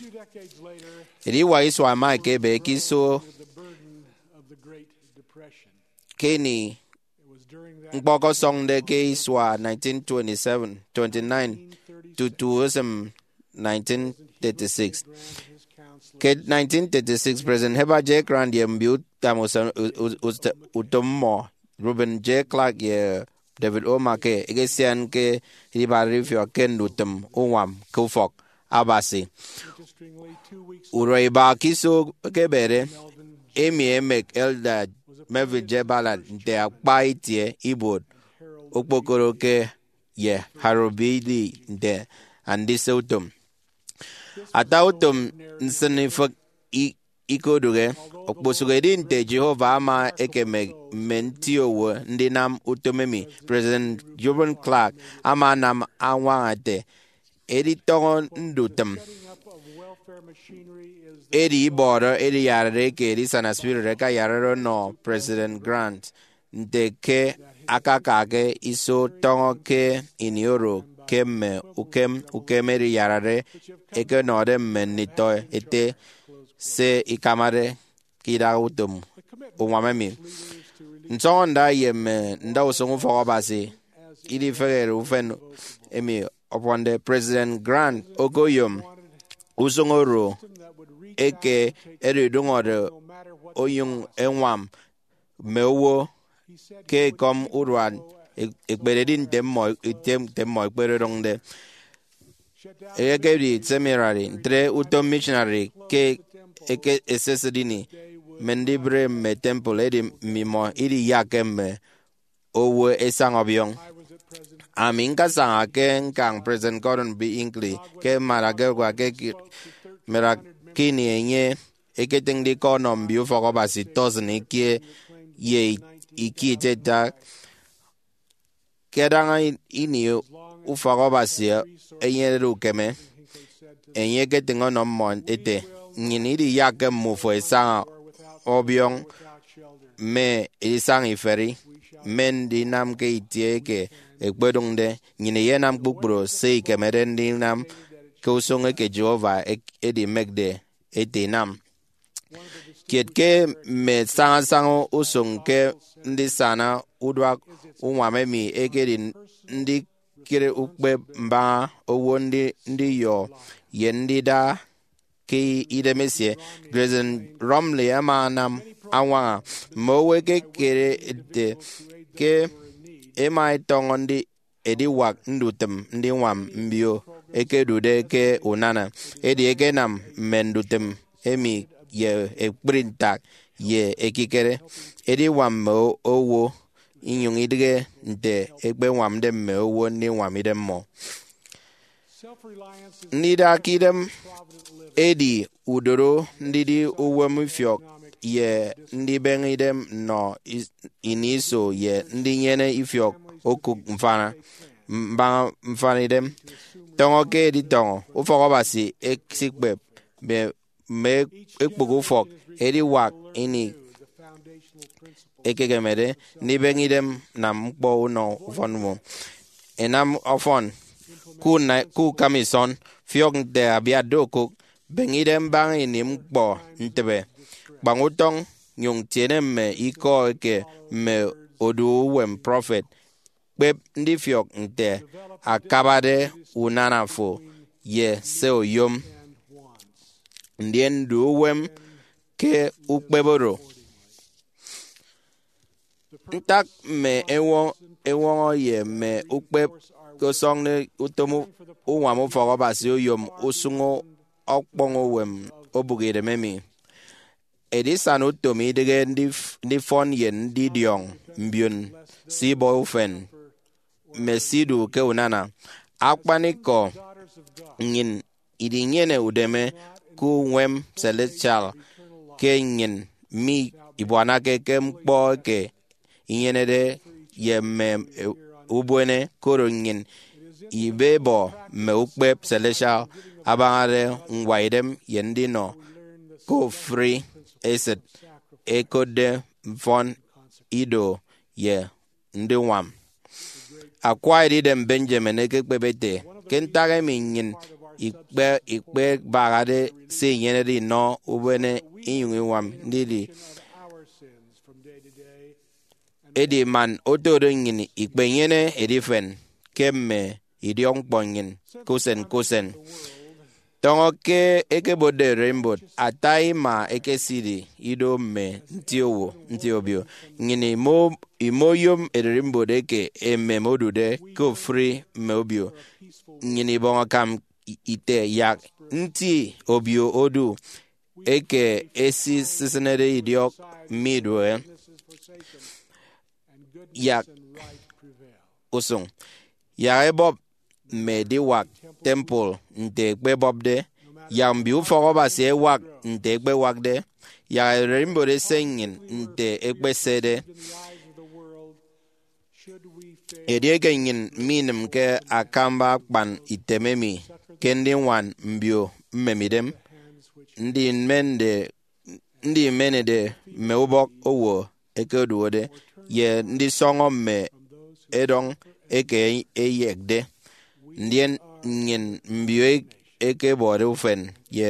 Ediwak isua ẹma ẹkebe ke iso ke ini ñkpọ ọkọsọñde ke isua nineteen twenty-seven, twenty-nine, tutu esịm nineteen thirty-six. Ke nineteen thirty-six, President Heber J. Grant ye mbio utam usen-, u-, u-, ut-, utom mmọ, Reuben J. Clark ye David O. McKay, ẹkesian ke edibade ifiọk ke ndutịm uñwam ke ufọk Abasi. Urua iba ke iso ekebede, emi emek Elder Melvin J. Ballard nte akpa itie ibuot okpokoro ke ye Harold B. Lee nte andise utom. Ata utom nsịnifịk i-, ikodụhe. Okposụkedi nte Jehovah ama ekemek mme nti owo ndinam utom emi, President Reuben Clark ama anam añwaña ete, editọñọ ndutịm. Edi ibọrọ ediyarare eke Edisana Spirit ẹkayarare ọnọ President Grant nte ke akaka ke iso tọñọ ke ini oro ke mme ukem ukem ediyarare ẹkenọde mme nditọ ete se ikamade ke idaha utom uñwam emi. Nsọñọnda ye mme ndausụñ ufọk Abasi idifehede ufen emi ọfọnde. President Grant okoyom usụñ oro eke edidụñọde onyụñ eñwam mme owo ke ekọm urua e-, ekpededi nte mmọ, nte, nte mmọ ẹkpedọñde. Ekedi seminary, ntre utom missionary ke eke esesịt ini. Mme ndibre mme temple edi mmimọ idiyakke mme owo ẹsaña ọbiọñ. Ami ñkasaña ke ñkañ President Gordon B. Hinckley ke Managua ke ki-, Managua ke ini enye eketịñde ikọ ọnọ mbio ufọk Abasi tọsịn ikie ye i-, ikie itiaita. Ke adaña ini ufọk Abasi enyenede ukeme, enye eketịñ ọnọ mmọ ete, nnyịn idiyakke mmufo ẹsaña ọbiọñ mme edisaña iferi, mme ndinam ke itie eke ẹkpedụñde. Nnyịn iyenam kpukpru se ikemede ndinam ke usụñ eke Jehovah ek-, edimekde ete inam. Kiet ke mme sañasaña usụñ ke ndisana uduak uñwam emi ekedi ndikere ukpep mbaña owo, ndi-, ndiyọ, ye ndida ke idemesie. President Romley ama anam añwaña mme owo ẹkekere ete ke ẹma ẹtọñọ ndi-, ediwak ndutịm ndiñwam mbio ẹkedude ke unana. Edi ẹkenam mme ndutịm emi ye ekpri ntak ye ekikere ediwak mme o-, owo, inyụñ idịghe nte ẹkpeñwamde mme owo ndiñwam idemmọ. Ndida ke idem edi udoro ndidi uwem ifiọk ye ndibeñe idem nnọ is-, ini iso ye ndinyene ifiọk okụk mfana, mbaña mfana idem. Tọñọ ke editọñọ ufọk Abasi esikpep mme, mme ekpụk ufọk ediwak ini ekekemede ndibeñe idem nam ñkpọ unọ ufọn mmọ. Inam ọfọn, ku-, ku-, ukam isọn, fiọk nte abiatde okụk, beñe idem mbaña ini ñkpọ ntịbe, kpañ utọñ, nyụñ tiene mme ikọ eke mme odu uwem prọfet. Kpep ndifiọk nte akabade unana fo ye se oyom, ndien du uwem ke ukpep oro. Ntak mme eñwọ-, eñwọñọ ye mme ukpep ke ọsọñde utom u-, uñwam ufọk Abasi oyom usụñ ọkpọñ uwem obụk idem emi? Edisana utom idịghe ndif- ndifọn ye ndidiọñ mbion se ibọ ufen mme se idu ke unana. Akpanikọ, nnyịn idinyene udeme ke uñwam celestial ke nnyịn mibuanake ke ñkpọ eke inyenede ye mme ubuene, koro nnyịn ibebọ mme ukpep celestial abañade ñwaidem ye ndinọ ke ofụri esịt ẹkotde mfọn ido ye ndiñwam. Akwa Edidem Benjamin ekekpep ete, ke ntak emi nnyịn ikpe- ikpebahade se inyenede inọ ubuene inyụñ iñwam ndidi. Edi man otodo nnyịn ikpenyene edifen ke mme idiọkñkpọ nnyịn ke usen ke usen. Tọñọ ke ẹkebotde ererimbot, ata ima ẹkesidi ido mme nti owo, nti obio. Nnyịn imo- imoyom ererimbot eke emem odude ke ofụri mme obio. Nnyịn ibọñ akam ite, yak nti obio odu eke esisịnede idiọk mme idụhe, yak usụñ, yak ebọp mme ediwak temple nte ẹkpebọpde, yak mbio ufọk Abasi ẹwak nte ẹkpewakde, yak ererimbot ese nnyịn nte ẹkpesede. Edieke nnyịn minịmke akamba akpan item emi ke ndiñwan mbio mmemidem, ndimenede ndimenede mme ubọk owo ẹkeduode, ye ndisọñọ mme edọñ eke ẹyekde, ndien nnyịn mbio ẹkebọde ufen ye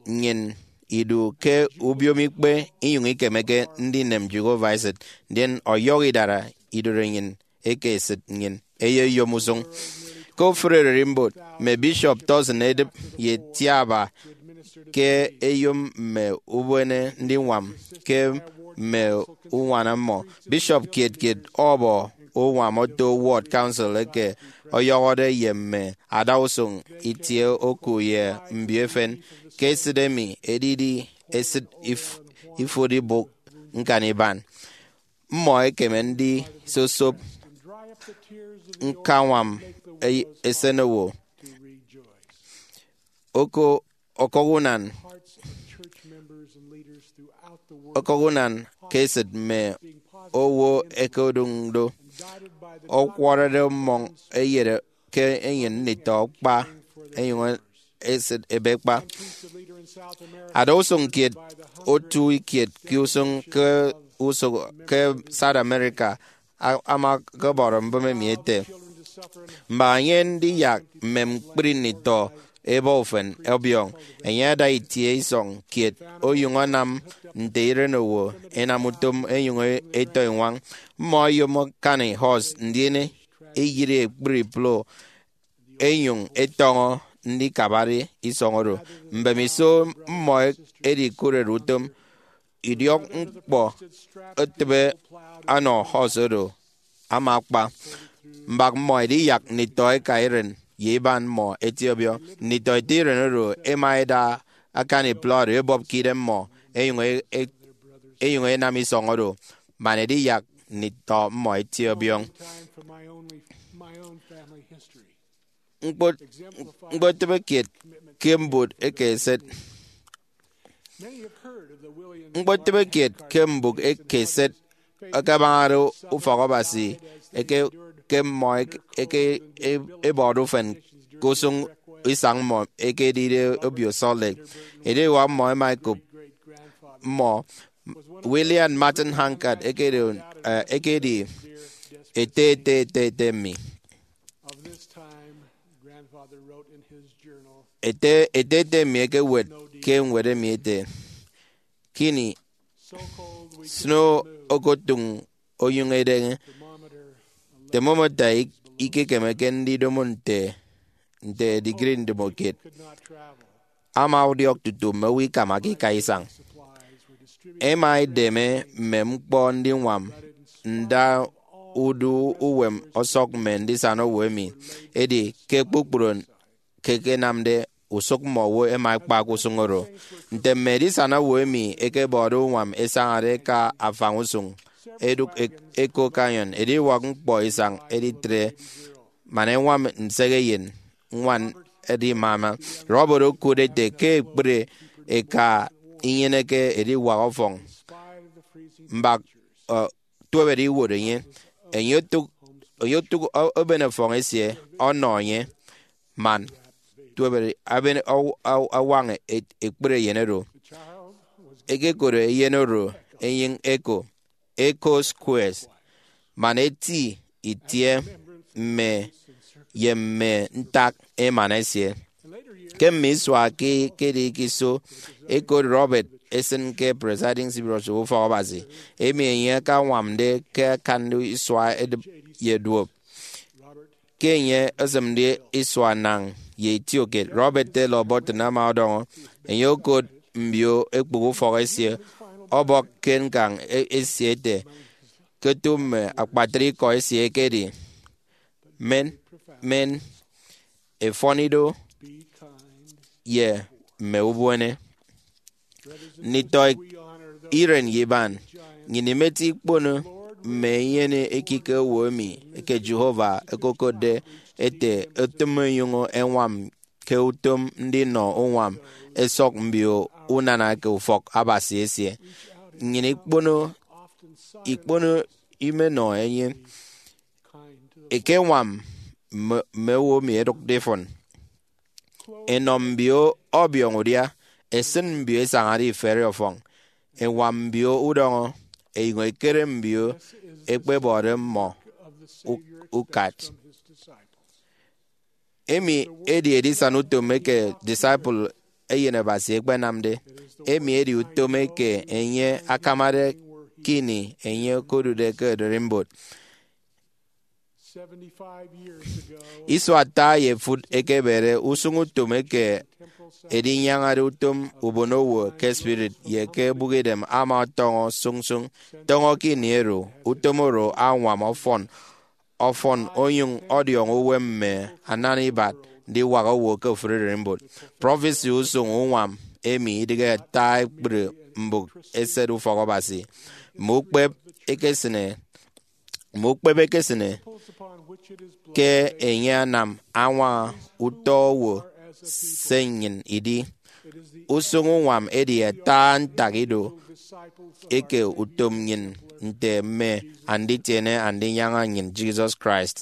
nnyịn idu ke ubiomikpe, inyụñ ikemeke ndinem Jehovah esịt, ndien ọyọhọ idara idụt enyịn eke esịt nnyịn eyeyom usụñ. Ke ofụri ererimbot, mme bishop Towson edịp ye itiaba ke ẹyom mme ubuene ndiñwam ke mme uñwana mmọ. Bishop kiet kiet ọbọ uñwam oto ward council eke ọyọhọde ye mme adausụñ itie oku ye mbio efen. Ke esịt emi edidi esịt if- ifụt ibụk ñkan iban, mmọ ẹkeme ndisosop ñkañwam e- esenowo. Oko- okụk unan, okụk unan ke esịt mme owo ẹkedụñ do, ọkwọrọde mmọñ eyet ke enyịn nditọ kpa enyụñ esịt ebe kpa. Adausụñ kiet otu kiet ke usụñ ke usụñ ke South America a- ama ọkọbọrọ mbụme emi ete, mbak enye ndiyak mme ñkpri nditọ ebọ ufen ọbiọñ, enye ada itie isọñ kiet onyụñ anam nte iren owo ẹnam utom ẹnyụñ ẹtọ iñwañ. Mmọ ẹyom akani horse ndien ẹyiri ekpri plow ẹnyụñ ẹtọñọ ndikabade isọñ oro. Mbemiso mmọ ẹdikụrede utom, idiọk ñkpọ etịbe anọ horse oro ama akpa. Mbak mmọ ẹdiyak nditọ ẹka iren ye iban mmọ ẹtie ọbiọñ. Nditọ ẹte iren oro ẹma ẹda akani plow oro ẹbọp ke idem mmọ ẹnyụñ e- e- ẹnyụñ ẹnam isọñ oro man ẹdiyak nditọ mmọ ẹtie ọbiọñ. Ñkpot- ñkpotịbe kiet ke mbụk eke eset. Ñkpotịbe kiet ke mbụk eke eset ẹkabañade ufọk Abasi eke ke mmọ eke ebọde ufen ke usụñ isañ mmọ eke edide obio Salt Lake. Ediwak mmọ ẹma ẹkop mmọ. William Martin Hankard ekedi, eh, ekedi ete ete ete ete mi. Ete ete ete mi ekewet ke ñwed emi ete, kini snow okotụñ onyụñ edeñe. Thermometer ikekemeke ndidomo nte nte degree ndomokiet. Ama ọdiọk tutu mme owo ikamakake ika isañ. Ẹma ẹdeme mme ñkpọ ndiñwam nda udu uwem ọsọk mme ndisana owo emi. Edi ke kpukpru ke ẹkenamde usụk mme owo ẹma ẹkpak usụñ oro. Nte mme edisana owo emi ẹkebọde uñwam ẹsañade ẹka afañ usụñ, ẹdụk e-, Echo Canyon, ediwak ñkpọ isañ editre man ẹñwam nsehe eyen ñwan edimama. Robert okụt ete ke ekpri eka inyeneke ediwak ọfọñ mbak, ọ, tuebede iwot enye. Enye otụk, enye otụk o-, oben ọfọñ esie ọnọ enye, man tuebede aben aw-, aw-, awaña e-, ekpri eyen oro. Ẹkekot eyen oro enyịñ Echo, Echo Squares, man eti itie mme ye mme ntak emana esie. Ke mme isua ke, ke edi ke iso, ẹkot Robert esịn ke Presiding City Bishop Ufọk Abasi, emi enye akañwamde ke akande isua edịp ye duop. Ke enye esịmde isua nañ ye itiokiet, Robert Taylor Burton ama ọdọñọ enye okot mbio ekpụk ufọk esie, ọbọk ke ñkañ e-, esie ete, ke otu mme akpatre ikọ esie ekedi, men, men, efọn ido, ye mme ubuene. Nditọ iren ye iban, nnyịn imeti ikpono mme enyene ekike owo emi eke Jehovah okokotde ete etịm ẹnyụñ ẹñwam ke utom ndinọ uñwam ẹsọk mbio unana ke ufọk Abasi esie. Nnyịn ikpono, ikpono imenọ enye. Ekeñwam mme, mme owo emi ẹdụkde ifụn. Ẹnọ mbio ọbiọñ udia, ẹsịn mbio ẹsañade iferi ọfọñ, ẹñwam mbio udọñọ, ẹnyụñ ẹkere mbio ẹkpebọde mmọ u-, ukat. Emi edi edisana utom eke disciple Eyen Abasi ẹkpenamde. Emi edi utom eke enye akamade ke ini enye okodude ke ererimbot. Isua ata ye efụt ekebede usụñ utom eke edinyañade utom ubonowo ke spirit ye ke ebụkidem ama ọtọñọ sụñsụñ. Tọñọ ke ini oro, utom oro añwam ọfọn, ọfọn onyụñ ọdiọñọ uwem mme anana ibat ndiwak owo ke ofụri ererimbot. Prọfesi usụñ uñwam emi idịghe ata ekpri mbụk eset ufọk Abasi. Mme ukpep ekesịne, mme ukpep ekesịne ke enye anam añwaña utọ owo se nnyịn idi. Usụñ uñwam edi ata ntak ido eke utom nnyịn nte mme anditiene Andinyaña nnyịn Jesus Christ.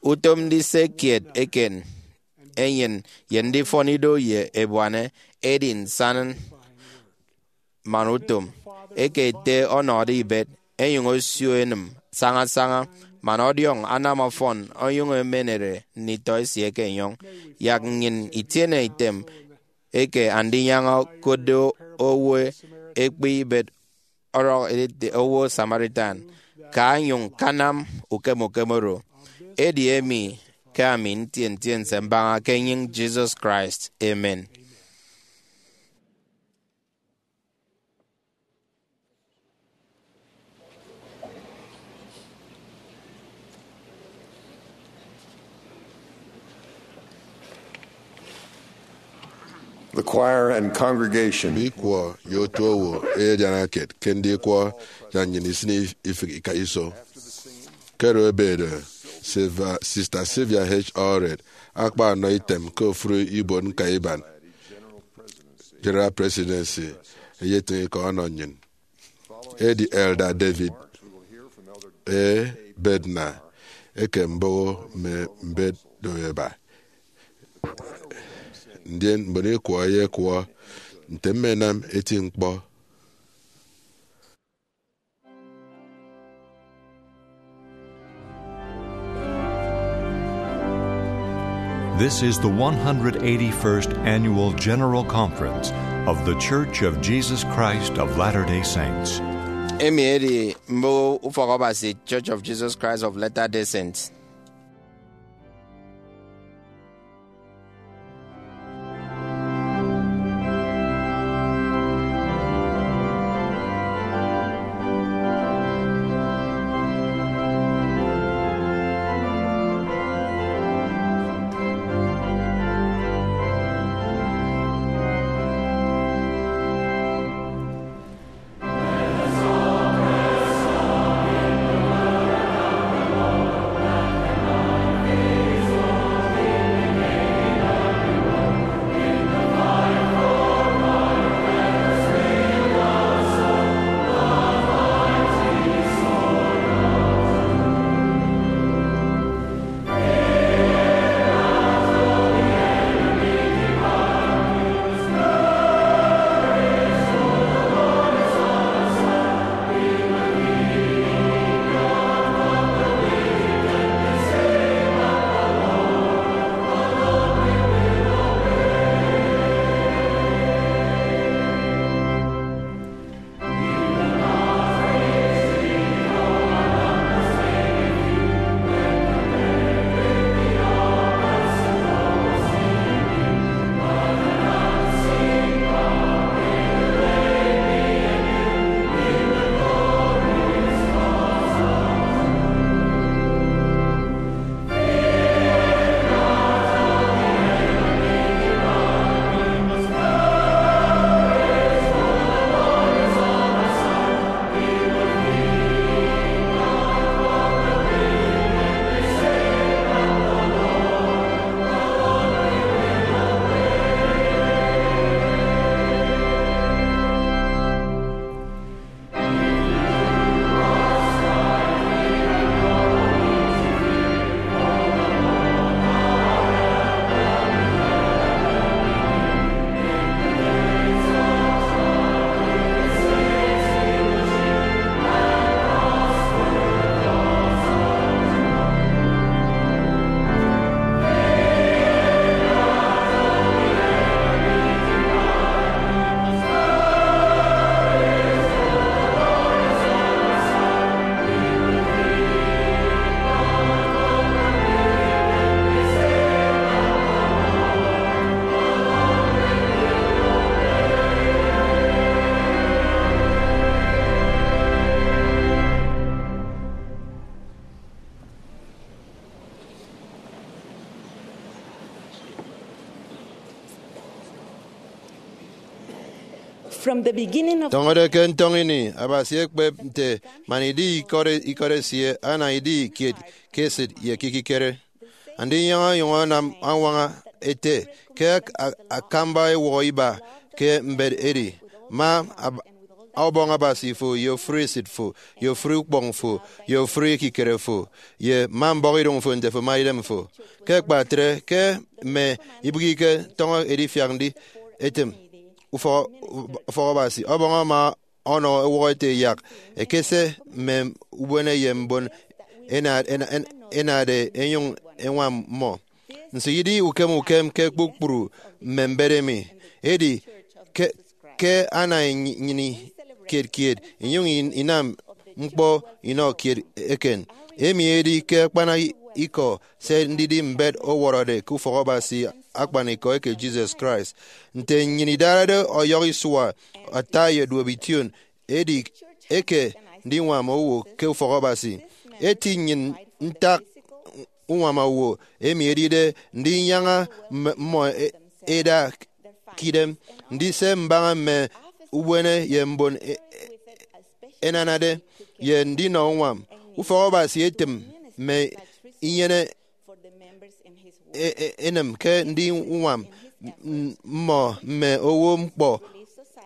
Utom ndise kiet eken enyịn ye ndifọn ido ye ebuana edi nsaña man utom. Eke ete ọnọde ibet, ẹnyụñ osio enịm sañasaña, man ọdiọñ anam ọfọn onyụñ emenere nditọ esie ke enyọñ. Yak nnyịn itiene item eke Andinyaña okotde owo ekpe ibet ọrọk edite owo Samaritan, ka nyụñ kanam ukem ukem oro. Edi emi ke ami ntie ntiense mbaña ke enyịñ Jesus Christ. Amen. The choir and congregation. Mme ikwọ ye otu owo ẹyediana kiet ke ndikwọ yak nnyịn isịn ifịk ika iso. Ke oro ebede, Silva-, Sister Sylvia H. Allred akpa ọnọ item ke ofụri ibuot ñkaiban General Presidency eyetịñ ikọ ọnọ nnyịn. Edi Elder David A. Bednar eke mboho mme mbet do eba. Ndien mbon ikwọ ẹyekwọ nte mmenam eti ñkpọ. This is the one hundred eighty-first Annual General Conference of The Church of Jesus Christ of Latter-day Saints. Emi edi mboho Ufọk Abasi Church of Jesus Christ of Latter-day Saints. From the beginning of Tọñọde ke ntọñọ ini, Abasi ekpep nte man idi ikọt, ikọt esie, ana idi kiet ke esịt ye ke ikikere. Andinyaña onyụñ anam añwaña ete ke ak-, a-, akamba ewọhọ iba ke mbet edi, ma ab-, Ọbọñ Abasi fo, ye ofụri esịt fo, ye ofụri ukpọñ fo, ye ofụri ekikere fo, ye ma mbọhọidụñ fo nte fo ma idem fo. Ke akpatre, ke mme ibịghike tọñọ edifiak ndi etịm ufọk, ufọk Abasi, Ọbọñ ama ọnọ ewọhọ ete yak ekese mme ubuene ye mbon ena-, ena-, en-, enade enyụñ eñwam mmọ. Nso idi ukem ukem ke kpukpru mme mbet emi! Edi ke, ke ana inyịni kiet kiet, inyụñ in-, inam ñkpọ inọ kiet eken. Emi edi ke akpana ikọ se ndidi mbet ọwọrọde ke ufọk Abasi akpanikọ eke Jesus Christ. Nte nnyịn idarade ọyọhọ isua, ata ye duop ition, edi eke ndiñwam owo ke ufọk Abasi. Eti nnyịn ntak uñwam owo emi edide ndinyaña mme-, mmọ e-, eda ke idem, ndise mbaña mme ubuene ye mbon e-, e-, enanade, ye ndinọ uñwam. Ufọk Abasi etịm mme inyene e-, e-, enịm ke ndiñwam m-, mmọ mme owo ñkpọ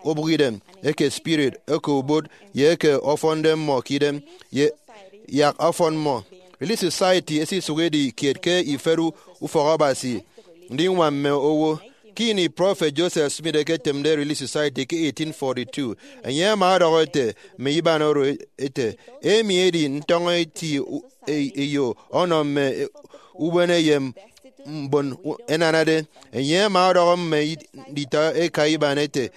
obụkidem, eke spirit, eke obot, ye eke ọfọnde mmọ ke idem, ye yak ọfọn mmọ. Relief Society esisụk edi kiet ke ifet u-, ufọk Abasi ndiñwam mme owo. Ke ini Prọfet Joseph Smith eketịmde Relief Society ke eighteen forty-two, enye ama ọdọhọ ete mme iban oro ete, emi edi ntọñọ eti u-, e-, eyo ọnọ mme ubuene ye m-, mbon u-, enanade. Enye ama ọdọhọ mme i-, nditọ eka iban ete,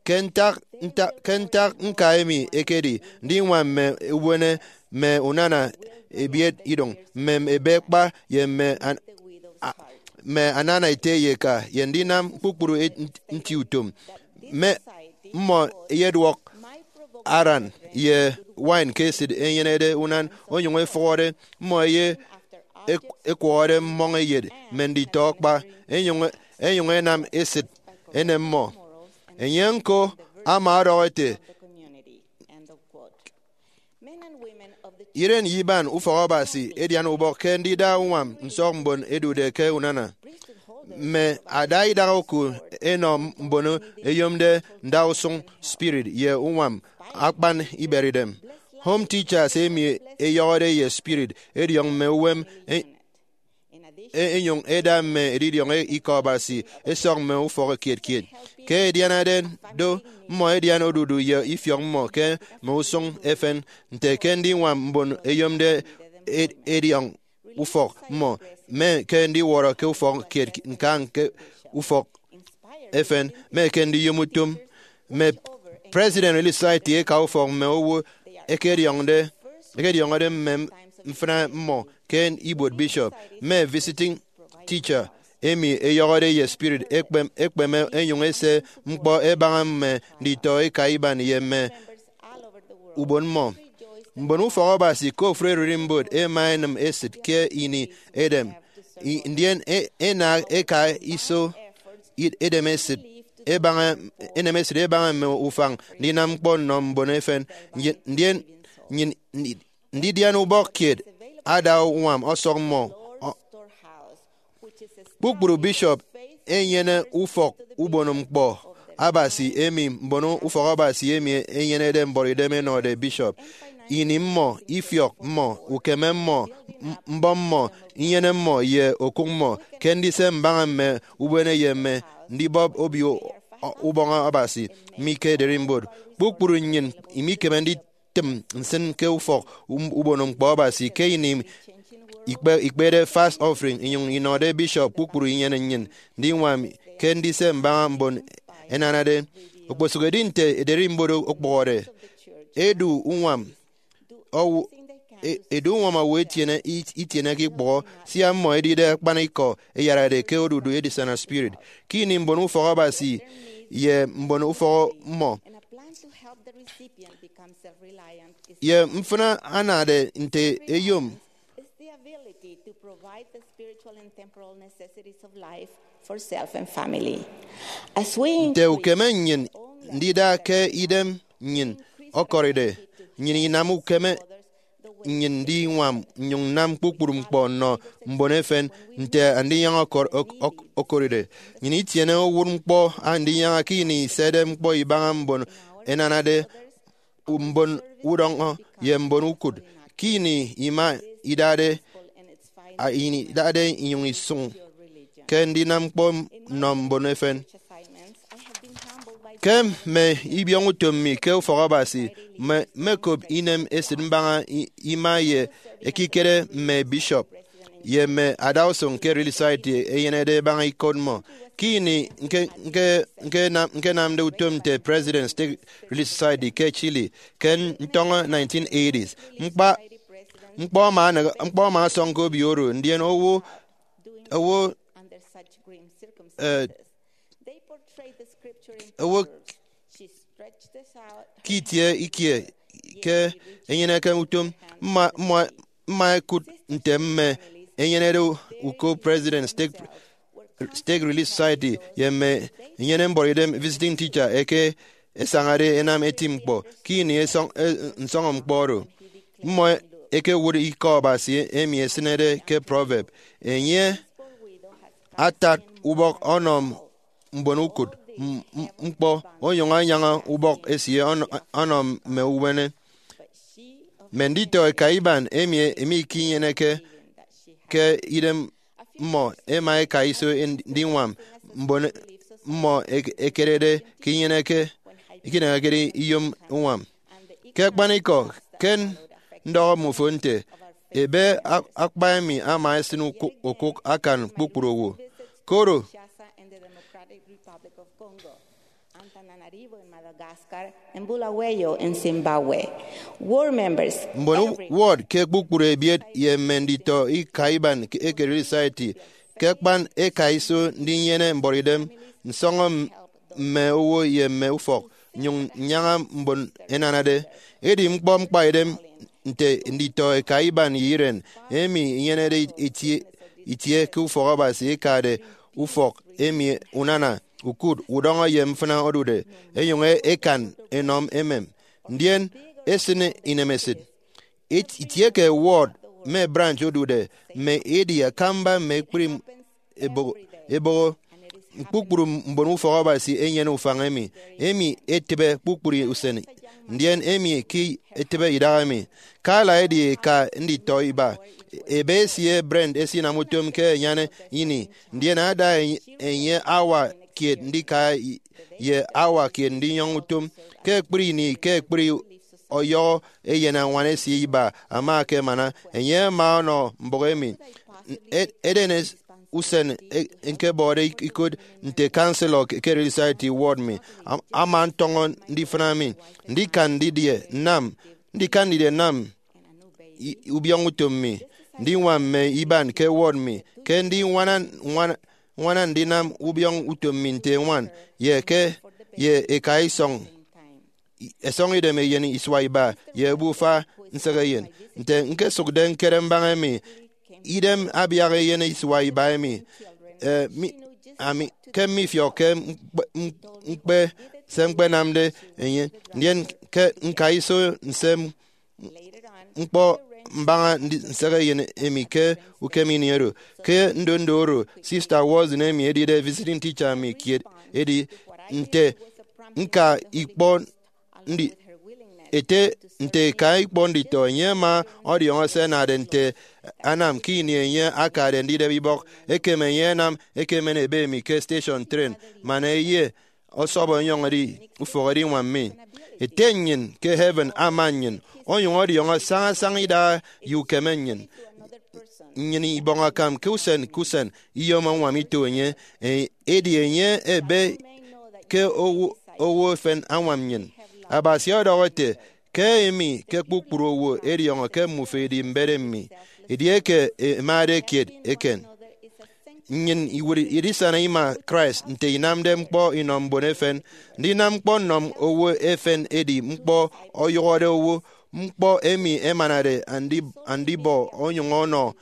ke ntak, ntak, ke ntak ñka emi ekedi ndiñwam mme ubuene, mme unana ebiet idụñ, mme ebe kpa ye mme an-, a-, mme anana ete ye eka, ye ndinam kpukpru et-, nti utom. Mme mmọ eyeduọk aran ye wine ke esịt enyenede unan, onyụñ efụhọde mmọ eye ek-, ekwọhọde mmọñ eyet mme nditọ kpa, enyụñ, enyụñ enam esịt enem mmọ. Enye ñko ama ọdọhọ ete, iren ye iban ufọk Abasi edian ubọk ke ndida uñwam nsọk mbon edude ke unana. Mme ada idaha oku enọ mbon eyomde ndausụñ spirit ye uñwam akpan iberidem. Home teachers emi eyọhọde ye spirit ediọñ mme uwem e-, e-, enyụñ eda mme edidiọñ e-, ikọ Abasi esọk mme ufọk kiet kiet. Ke ẹdianade do, mmọ ẹdian odudu ye ifiọk mmọ ke mme usụñ efen, nte ke ndiñwam mbon eyomde e-, ediọñ ufọk mmọ, mme ke ndiwọrọ ke ufọk kiet nkañ ke ufọk efen, mme ke ndiyom utom. Mme president Relief Society eka ufọk mme owo ẹkediọñde, ẹkediọñọde mme mfịna mmọ ke ibuot bishop. Mme visiting teacher emi eyọhọde ye spirit ekpem, ekpeme enyụñ ese ñkpọ ẹbaña mme nditọ eka iban ye mme ubon mmọ. Mbon ufọk Abasi ke ofụri ererimbot ẹma ẹnịm esịt ke ini edem, i-, ndien e-, ẹna ẹka iso i-, edem esịt ẹbaña, enem esịt ẹbaña mme ufañ ndinam ñkpọ nnọ mbon efen. Ndien, ndien nnyịn ndi-, ndidian ubọk kiet ada uñwam ọsọk mmọ. Ọ-, kpukpru bishop enyene ufọk ubon ñkpọ Abasi emi mbon ufọk Abasi emi enyenede mbuọtidem ẹnọde bishop. Ini mmọ, ifiọk mmọ, ukeme mmọ, m-, mbọm mmọ, inyene mmọ, ye okụk mmọ ke ndise mbaña mme ubuene ye mme ndibọp obio ubọñ Abasi mi ke ererimbot. Kpukpru nnyịn imikeme ndi tịm nsịn ke ufọk um-, ubon ñkpọ Abasi ke ini ikpe-, ikpede fast offering, inyụñ inọde bishop kpukpru inyene nnyịn ndiñwam ke ndise mbaña mbon ẹnanade. Okposụk edi nte ererimbot okpụhọde, edu uñwam owo, e-, edu uñwam owo etiene, it-, itieneke ikpụhọ, sia mmọ ẹdide akpanikọ ẹyarade ke odudu edisana spirit. Ke ini mbon ufọk Abasi ye mbon ufọk mmọ ye mfịna anade nte eyom Provide the spiritual and temporal necessities of life for self and family. As we nte increase ukeme nnyịn ndida ke idem nnyịn ọkọride, nnyịn inam ukeme nnyịn ndiñwam nnyụñ nnam kpukpru ñkpọ nnọ mbon efen. Nte andinyaña ọkọr-, ọk-, ọk-, ọkọride, nnyịn itiene owụt ñkpọ andinyaña ke ini isede ñkpọ ibaña mbon ẹnanade mbon udọñọ ye mbon ukụt, ke ini ima idade, a, ini idade inyụñ isụñ ke ndinam ñkpọ nnọ mbon efen. Ke mme ibiọñutom mi ke ufọkabasi, mme, mmekop inem esịt mbaña i-, ima ye ekikere mme bishop ye mme adausụñ ke Relief Society ẹnyenede ẹbaña ikot mmọ. Ke ini nke, nke, nke nam-, nkenamde utom nte President Stake Relief Society ke Chile ke ntọñọ nineteen eighties, ñkpa, ñkpọ ama anag-, ñkpọ ama asọñ ke obio oro, ndien owo, owo, eh, owo ke itie ikie ke enyeneke utom. Mma, mma, mma ẹkụt nte mme enyenede uko President Stake, Stake Relief Society ye mme enyene mbọrọidem visiting teacher eke ẹsañade ẹnam eti ñkpọ ke ini esọñ-, e, nsọñọñkpọ oro. Mmọ ẹkewụt ikọ Abasi emi esịnede ke Proverb, enye atat ubọk ọnọ mbon ukụt m-, m-, ñkpọ, onyụñ anyaña ubọk esie ọnọ, ọnọ mme uwene. Mme nditọ eka iban emi, emi ikinyeneke ke idem mmọ ẹma ẹka iso ndiñwam mbon mmọ ẹk-, ẹkerede ke inyeneke, ikinyeneke iyom uñwam. Ke akpanikọ, ke ndọhọ mmofo nte, ebe ak-, akpa emi ama esịn ukụk, ukụk akan kpukpru owo. Koro, Kinshasa and the Democratic Republic of Congo, Antananarivo in Madagascar, and Bulawayo in Zimbabwe. Ward members, mbon every ward ke kpukpru ebiet ye mme nditọ ika iban ke, eke Relief Society ke akpan ẹka iso ndinyene mbọrọidem nsọñọ m-, mme owo ye mme ufọk, nyụñ nnyaña mbon ẹnanade. Edi ñkpọ ñkpaidem nte nditọ eka iban ye iren emi inyenede itie, itie ke ufọk Abasi, ekade ufọk emi unana, ukụt, udọñọ ye mfịna odude, ẹnyụñ ẹkan ẹnọ emem, ndien ẹsịn inemesịt. It-, itie ke ward mme branch odude, mme edi akamba mme ekpri eboho, eboho. Kpukpru mbon ufọk Abasi ẹnyene ufañ emi, emi etịbe kpukpru usen, ndien emi ke etịbe idahaemi. Carla edi eka nditọ iba. Ebe esie Brent esinam utom ke anyan ini, ndien ada enye, enye hour kiet ndika i-, ye hour kiet ndinyọñ utom. Ke ekpri ini, ke ekpri ọyọhọ eyen añwan esie iba ama akemana, enye ama ọnọ mbụk emi. E-, eden es-, usen e-, ñkebọde ik-, ikot nte counselor ke Relief Society ward mi. Am-, ama ntọñọ ndifịna mi, ndikan ndidie nnam, ndikan ndidie nnam i-, ubiọñ utom mi, ndiñwam mme iban ke ward mi, ke ndiñwana, ñwana, ñwana ndinam ubiọñ utom mi nte eñwan, ye ke, ye eka isọñ, i-, ẹsọñ idem eyen isua iba ye obufa nsehe eyen. Nte ñkesụkde ñkere mbaña emi, idem abiak eyen isua iba emi, eh, mi, ami, ke mmifiọkke ñkpe, m-, ñkpe se ñkpenamde enye, ndien ke ñka iso nsem ñkpọ mbaña ndi-, nsehe eyen emi ke ukem ini oro. Ke ndondo oro, Sista Watson emi edide visiting teacher mi kiet edi, nte ñka ikpọ ndi-, ete, nte eka ikpọ nditọ, enye ama ọdiọñọ se anade nte anam ke ini enye akade ndidep ibọk, ekem enye anam ekemen ebe mi ke station train, man eye ọsọp ọnyọñ edi ufọk ediñwam mi. Ete nnyịn ke heaven ama nnyịn, onyụñ ọdiọñọ sañasaña idaha ye ukeme nnyịn. Nnyịn ibọñ akam ke usen ke usen iyom añwam ito enye, e-, edi enye ebe ke owo, owo efen añwam nnyịn. Abasi ọdọhọ ete, ke emi ke kpukpru owo ẹdiọñọ ke mmufo edi mbet mi, edieke emade kiet eken. Nnyịn iwụt idisana ima Christ nte inamde ñkpọ inọ mbon efen. Ndinam ñkpọ nnọ owo efen edi ñkpọ ọyụhọde owo. Ñkpọ emi ẹmanade andi-, andibọ onyụñ ọnọ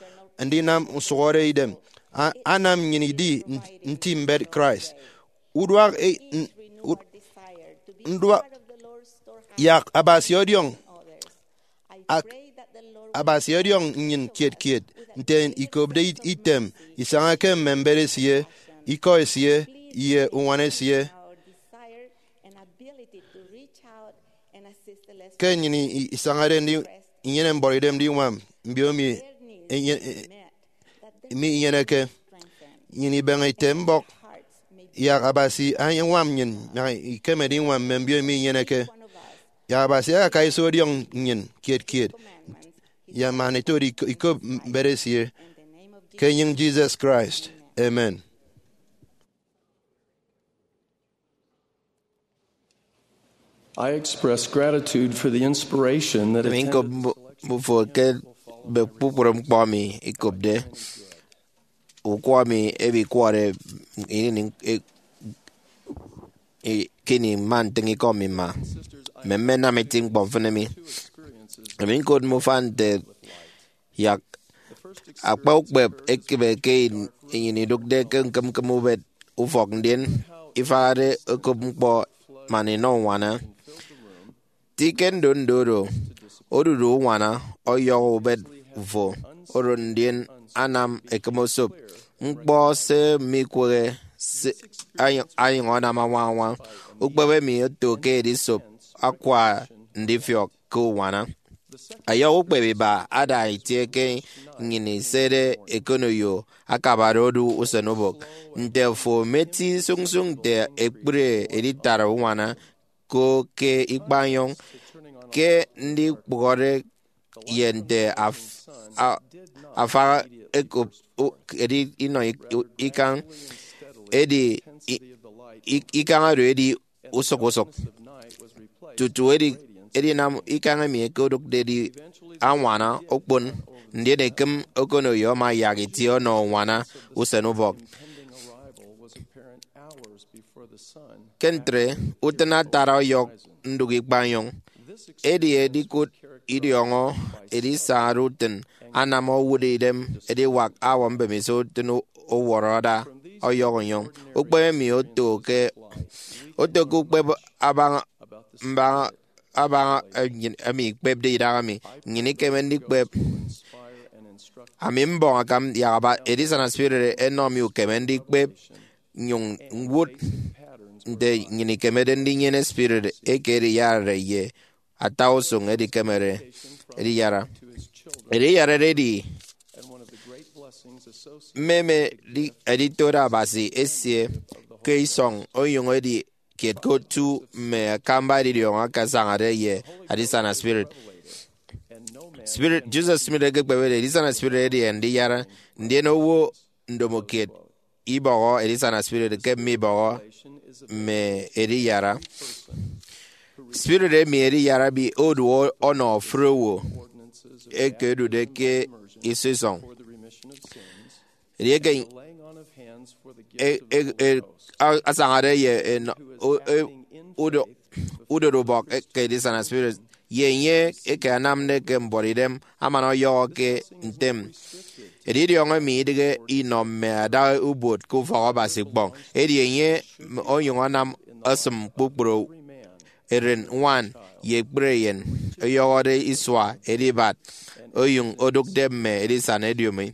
ndinam nsụhọre idem, a- anam nnyịn idi n- nti mbet Christ. Uduak e- n- ud- nduak, yak Abasi ọdiọñ, ak Abasi ọdiọñ nnyịn kiet kiet nte ikopde it- item isaña ke mme mbet esie, ikọ esie, ye uñwana esie. Ke nnyịn i- isañade ndi- inyene mbọrọidem ndiñwam mbio emi enye- mi inyeneke, nnyịn ibeñe ite mbọk, yak Abasi añwam nnyịn, yak ikeme ndiñwam mme mbio emi inyeneke. Yak Abasi akaka iso ọdiọñ nnyịn kiet kiet, ye man itode ikop mbet esie, ke enyịñ Jesus Christ. Amen. I express gratitude for the inspiration that Emi attended nkop mbu- mbufo ke mme kpukpru ñkpọ mi ikopde. Ukwọ mi emi ikwọrọ ini e- e- kini mma ntịñ ikọ mi mma. Mme mme nam eti ñkpọ mfịn emi. Emi ñkot mme ufan nte yak akpa ukpep ekịbe ke in- enyịn idụkde ke ñkịmñkịm ubet ufọk, ndien ifahade okop ñkpọ man inọ uñwana. Ti ke ndondo oro, odudu uñwana ọyọhọ ubet fo oro, ndien anam ekịm osop ñkpọ se mikwehe se anyụñ, anyụñ anam añwañwa. Ukpep emi oto ke edisop akwa ndifiọk ke uñwana. Ọyọhọ ukpep iba ada itie ke nnyịn isede ekonoyo akabade odu usenubọk. Nte afo meti sụñsụñ nte ekpri editara uñwana ko ke ikpañyọñ, ke ndikpụhọde ye nte af- a- afaha ekop u- edi inọ ik- u- ikañ, edi i- ik- ikañ oro edi usụk usụk, tutu edi edinam ikañ emi ekedụkde edi añwana okpon, ndien ekịm okonoyo ama yak itie ọnọ uñwana usenubọk. Ke ntre, utịn atara ọyọk ndụk ikpañyọñ. Edi edikụt idiọñọ edisañade utịn anam owụt idem ediwak hour mbemiso utịn u- uwọrọ ada ọyọk onyụñ. Ukpep emi oto ke oto ke ukpep abaña mbaña abaña emi ikpepde idaha mi, nnyịn ikeme ndikpep. Ami mbọñ akam yak aba edisana spirit enọ mi ukeme ndikpep nnyụñ ñwụt nte nnyịn ikemede ndinyene spirit eke ediyarade ye ata usụñ edikemede ediyara. Ediyarade edi mmeme di- editode Abasi esie ke isọñ, onyụñ edi kiet ke otu mme akamba edidiọñọ akasañade ye edisana spirit. Spirit Joseph Smith ekekpepde edisana spirit edi ndiyara, ndien owo ndomokiet ibọhọ edisana spirit ke mmibọhọ mme ediyara. Spirit emi ediyara emi odu ọnọ ofụri owo eke odude ke iso isọñ. Edieke e- e- e- a- asañade ye enọ- o- e- udo- udorubọk ke edisana spirit, ye enye eke anamde ke mbuọtidem amana ọyọhọ ke ntem. Edidiọñọ emi idịghe inọ mme adaha ubot ke ufọk Abasi ikpọñ, edi enye onyụñ anam esịm kpukpru eren, ñwan, ye ekpri eyen, ọyọhọde isua edibat, onyụñ odụkde mme edisana ediomi.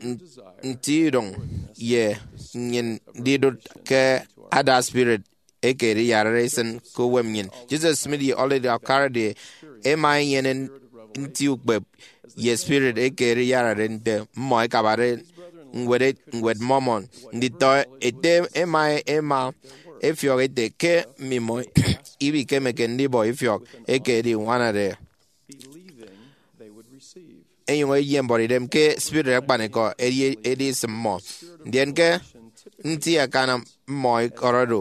N- nti idụñ ye nnyịn ndidụt ke ada spirit eke ediyarare isịn ke uwem nnyịn. Joseph Smith ye Oliver Cowdery ẹma ẹnyene nti ukpep ye spirit eke ediyarade nte mmọ ẹkabade ñwed, ñwed Mormon. Nditọ ete ẹma ẹma ẹfiọk ẹte ke mmimọ ibikemeke ndibọ ifiọk eke ediñwanade, ẹnyụñ ẹyem mbuọtidem ke spirit akpanikọ edi, edi isịm mmọ. Ndien ke nti akana mmọ ikọrọ do,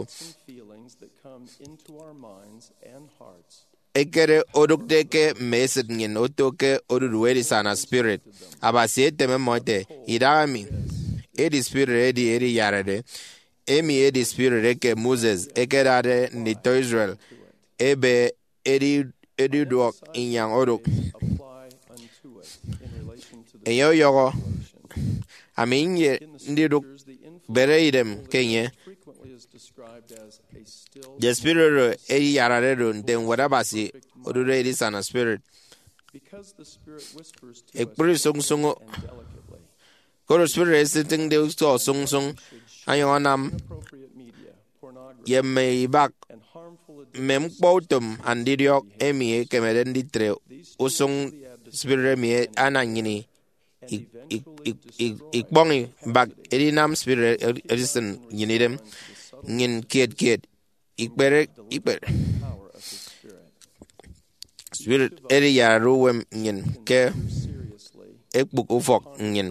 ekere odụkde ke mme esịt nnyịn oto ke odudu edisana spirit. Abasi eteme mmọ ete, idaha emi edi spirit edi ediyarade. Emi edi spirit eke Moses ekedade nditọ Israel ebe edi, ediduọk inyañ odụk. Enye ọyọhọ, ami nye ndidụk bere idem ke enye. The Spirit oro ediyarade do nte Ñwed Abasi odude edisana spirit. Ekpri sụñsụñ, koro Spirit esitịñde utọ sụñsụñ, anyụñ anam ye mme ibak mme ñkpọ utom andidiọk emi ekemede nditre usụñ spirit emi anam nnyịn i- i- i- i- ikpọñ mbak edinam spirit edi- edisịn nnyịn idem. Nnyịn kiet kiet ikpere ikpere spirit ediyarade uwem nnyịn ke ekpụk ufọk nnyịn.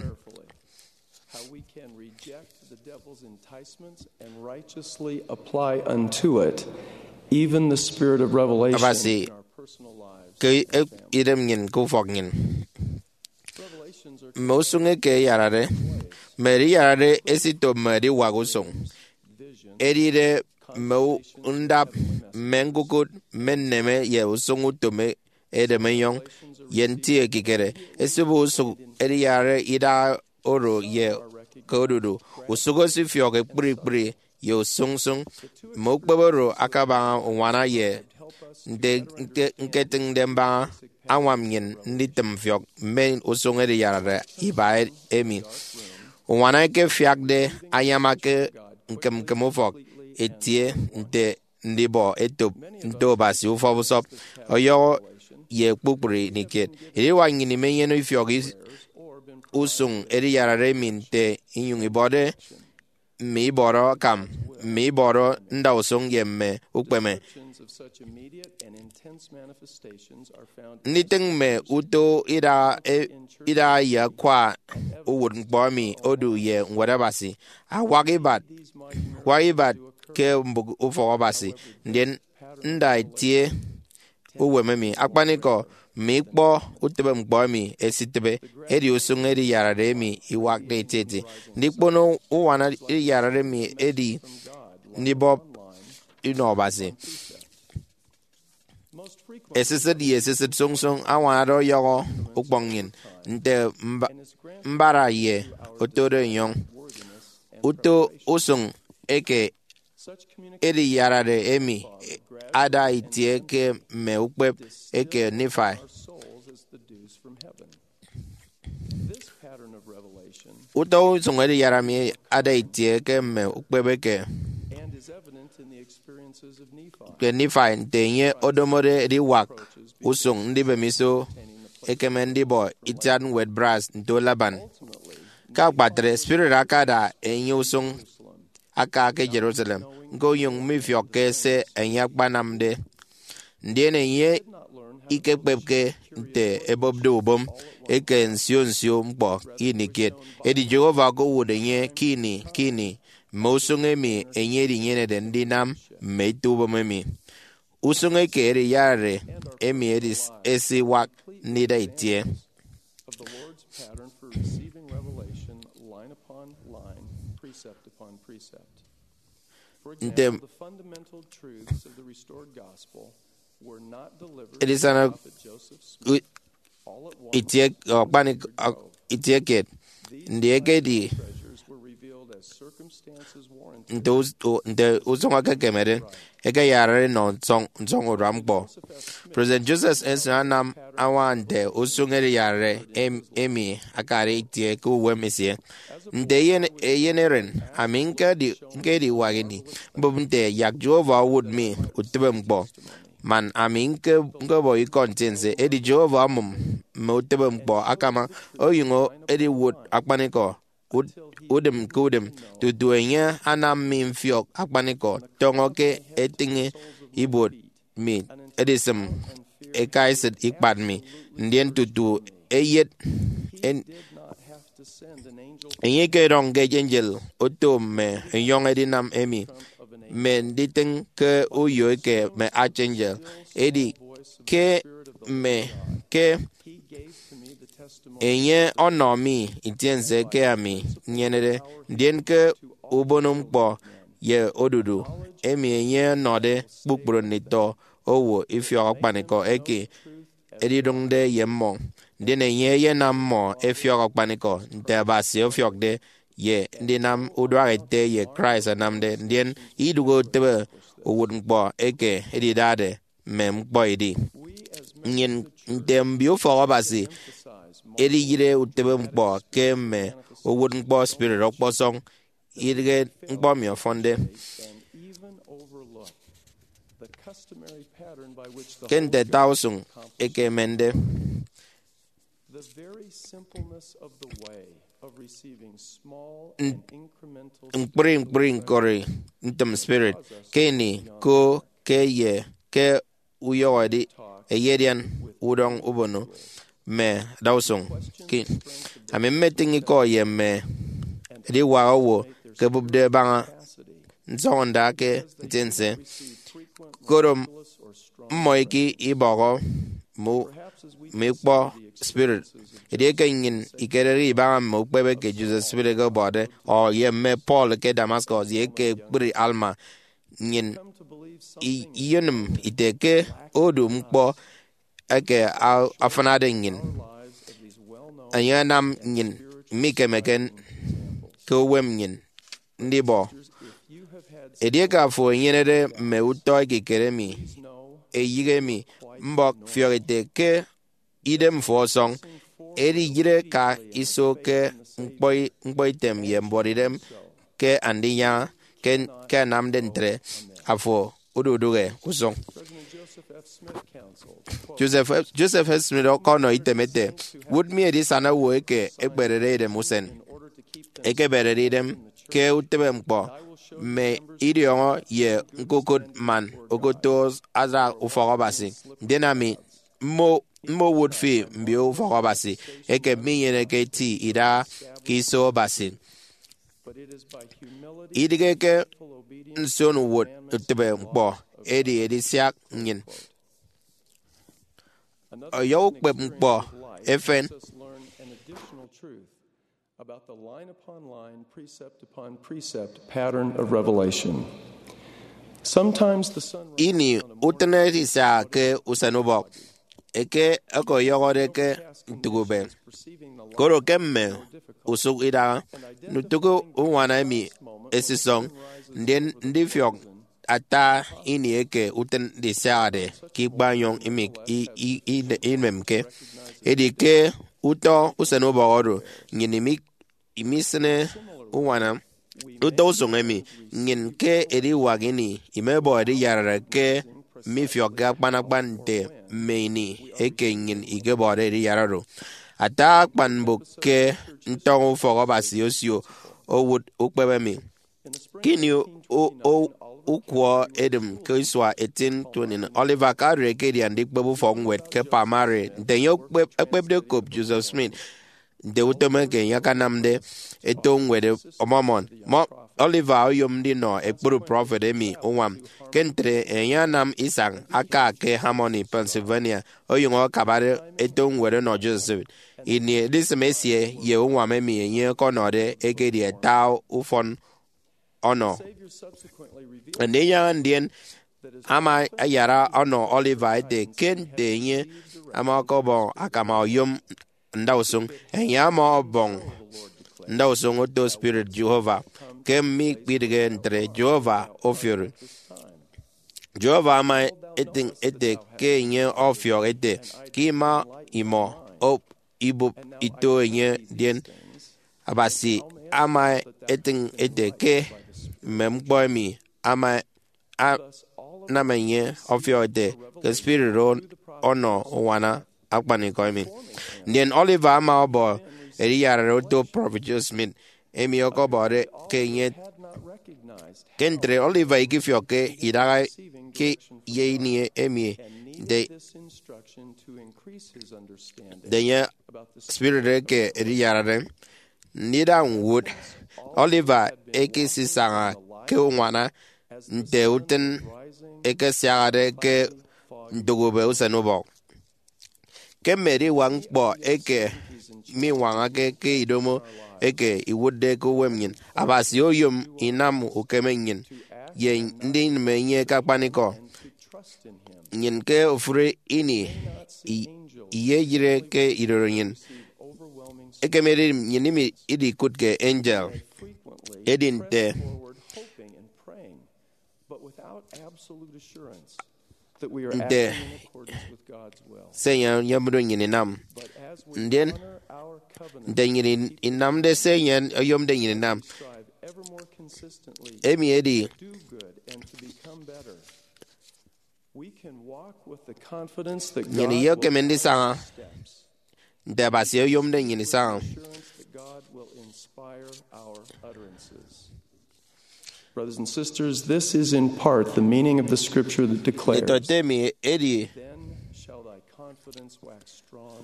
How we can reject the devil's enticements and righteously apply unto it even the spirit of revelation Abasi in our personal lives. Ke e- idem nnyịn ke ufọk nnyịn. Mme usụñ eke eyarade, mme ediyarade esito mme ediwak usụñ, edide mme u- ndap, mme ñkukụt, mme nneme ye usụñ utom e- edem enyọñ ye nti ekikere. Esịbe usụñ ediyarade idaha oro ye ke odudu. Usụk esifiọk ekpri ekpri ye usụñsụñ. Mme ukpep oro akabaña uñwana ye nte ñke- ñketịñde mbaña añwam nnyịn nditịm mfiọk mme usụñ ediyarade iba e- emi. Uñwana eke afiakde anyama ke ñkịm ñkịm ufọk etie nte ndibọ etop nto Abasi ufọp usọp ọyọhọ ye kpukpru ini kiet. Ediwak nnyịn imenyene ifiọk is- usụñ ediyarade emi nte inyụñ ibọde mme ibọrọ akam, mme ibọrọ ndausụñ ye mme ukpeme. Nditịñ mme uto idaha e- idaha ye akwa uwụtñkpọ emi odu ye Ñwed Abasi awak ibat, wak ibat ke mbụk ufọk Abasi, ndien nda itie uwem emi. Akpanikọ, mme ikpọ utịbeñkpọ emi esitịbe, edi usụñ ediyarade emi iwakde etieti. Ndikpono uñwana ediyarade emi edi ndibọp inọ Abasi. Esisịt ye esisịt sụñsụñ añwanade ọyọhọ ukpọñ nnyịn nte mba- mbara ye otode enyọñ. Uto usụñ eke ediyarade emi ada itie ke mme ukpep eke Nifai. Uto usụñ ediyarade emi ada itie ke mme ukpep eke ke Nifai, nte enye odomode ediwak usụñ ndibem iso ekeme ndibọ itiat ñwed brass nto Laban. Ke akpatre, spirit akada enye usụñ aka ke Jerusalem, ñko onyụñ mifiọkke se enye akpanamde. Ndien enye ikekpepke nte ebopde ubom eke nsio nsio ñkpọ ini kiet, edi Jehovah okowụt enye ke ini ke ini mme usụñ emi enye edinyenede ndinam mme ito ubom emi. Usụñ eke ediyarade emi edi esiwak ndida itie. Of the Lord's pattern for receiving revelation line upon line, precept upon precept. For Nte example, the fundamental truths of the restored gospel were not delivered to edisana Prophet Joseph Smith u- all at once. Itie ọkpanik itie kiet. Ndi ekedi nte us- u- nte usụñ ekekemede ekeyarare nọ nsọñ nsọñ urua ñkpọ. President Joseph Smith anam añwaña nte usụñ ediyarare em- emi akade itie ke uwem esie. Nte eyen eyen eren, ami ñkedi ñkediwak ini mbụp nte yak Jehovah owụt mi utịbeñkpọ, man ami ñke- ñkebọ ikọ ntiense. Edi Jehovah omụm mme utịbeñkpọ akama, onyụñ ediwụt akpanikọ ud- udịm ke udịm tutu enye anam mi mfiọk akpanikọ tọñọ ke etịñe ibuot mi edisịm ekaesịt ikpat mi, ndien tutu eyet en- enye ikedọñke angel oto mme enyọñ edinam emi, mme nditịñ ke uyo eke mme archangel. Edi ke mme ke enye ọnọ mi ntiense ke ami nyenede, ndien ke ubono ñkpọ ye odudu emi enye ọnọde kpukpru nditọ owo ifiọk akpanikọ eke edidụñde ye mmọ. ndien enye eyenam mmọ ẹfiọk akpanikọ nte Abasi ọfiọkde, ye ndinam uduak ete ye Christ anamde, ndien idụhe utịbe uwụtñkpọ eke edidade mme ñkpọ edi. Nnyịn nte mbio ufọk Abasi ediyịre utịbe ñkpọ ke mme uwụtñkpọ spirit ọkpọsọñ, idịghe ñkpọ emi ọfọnde ke nte ata usụñ eke emende. Ñkpri ñkpri ñkori ntịm spirit ke ini ko ke ye ke uyọhọ edi eyedian udọñ ubono mme adausụñ. Ki, ami mmetịñ ikọ ye mme ediwak owo ke ẹbụpde ẹbaña nsọñọnda ke ntiense, koro mmọ iki ibọhọ mme ikpọ spirit. Edieke nnyịn ikerede ibaña mme ukpep eke Joseph Smith ekebọde, ọ ye mme Paul ke Damascus, ye ke ekpri Alma, nnyịn iyenịm ite ke odu ñkpọ eke afịnade nnyịn, enye anam nnyịn mikemeke ke uwem nnyịn ndibọ. Edieke afo enyenede mme utọ ekikere emi, eyịghe mi, mbọk fiọk ete ke idem fo ọsọñ, ediyịre ka iso ke ñkpọitem ye mbuọtidem ke Andinyaña. Ke anamde ntre, afo ududụhe usụñ. Joseph F. Smith ọkọnọ item ete, wụt mi edisana owo eke ekperede idem usen, ekeberede idem ke utịbe ñkpọ, mme idiọñọ ye ñkukụt man okoto ada ufọk Abasi, ndien ami mmowụt fi mbio ufọk Abasi eke minyeneke eti idaha ke iso Abasi. Idịghe ke nsionuwụt utịbe ñkpọ edi edisiak nnyịn. Ọyọhọ ukpepñkpọ efen. About the line upon line, precept upon precept pattern of revelation. Sometimes the sun ini utịn edisiaha ke usenubọk eke ọkọyọhọde ke ntụk ube, koro ke mme usụk idaha, ntụk uñwana emi esisọñ, ndien ndifiọk ata ini eke utịn ndisiahade ke ikpaenyọñ imemke. Edi ke utọ usenubọk oro, nnyịn imisịne uñwana utọ usụñ emi. Nnyịn ke ediwak ini imebọ ediyarare ke mifiọkke akpan akpan nte mme ini eke nnyịn ikebọde ediyarare oro. Ata akpan mbụk ke ntọñọ ufọk Abasi osio owụt ukpep emi. Ke ini ukwọ edịm ke isua eighteen twenty, Oliver Cowdery ekedi andikpep ufọkñwed ke Palmyra. Nte enye ekpepde okop Joseph Smith nte utom eke enye akanamde eto ñwed Mormon, Oliver oyom ndinọ ekpru prọfet emi uñwam. Ke ntre, enye anam isañ aka ke Harmony, Pennsylvania, onyụñ akabade eto ñwed ọnọ Joseph Smith. Ini edisịm esie ye uñwam emi enye ọkọnọde ekedi ata ufọn ọnọ Andinyaña, ndien ama ayara ọnọ Oliver ete ke nte enye ama ọkọbọ akama oyom ndausụñ, enye ama ọbọñ ndausụñ oto spirit Jehovah. Ke mikpidịghe ntre, Jehovah ofiori. Jehovah ama etịñ ete ke enye ọfiọk ete ke ima imọ ibụp ito enye, ndien Abasi ama etịñ ete ke mme ñkpọ emi ama anam enye ọfiọk ete ke spirit oro ọnọ uñwana akpanikọ emi. Ndien Oliver ama ọbọ ediyarare oto prọfet Joseph Smith, emi ọkọbọde ke enye. Ke ntre, Oliver ikifiọkke idaha ke ye ini emi nte enye spirit eke ediyarare. Ndida ñwụt, Oliver ekesisaña ke uñwana nte utịn ekesiahade ke ntụk ube usenubọk. Ke mme ediwak ñkpọ eke miñwañake ke idomo eke iwụtde ke uwem nnyịn, Abasi oyom inam ukeme nnyịn ye ndinịm enye ke akpanikọ. Nnyịn ke ofụri ini i- iyeyire ke idorenyin. Ekemede nnyịn imi idikụt ke angel. Edi nte nte se enye oyomde nnyịn inam. Ndien nte nnyịn inamde se enye oyomde nnyịn inam, emi edi nnyịn iyekeme ndisaña nte Abasi oyomde nnyịn isaña. Brothers and sisters, this is in part the meaning of the scripture that declares, Nditọete emi edi, "Then shall thy confidence wax strong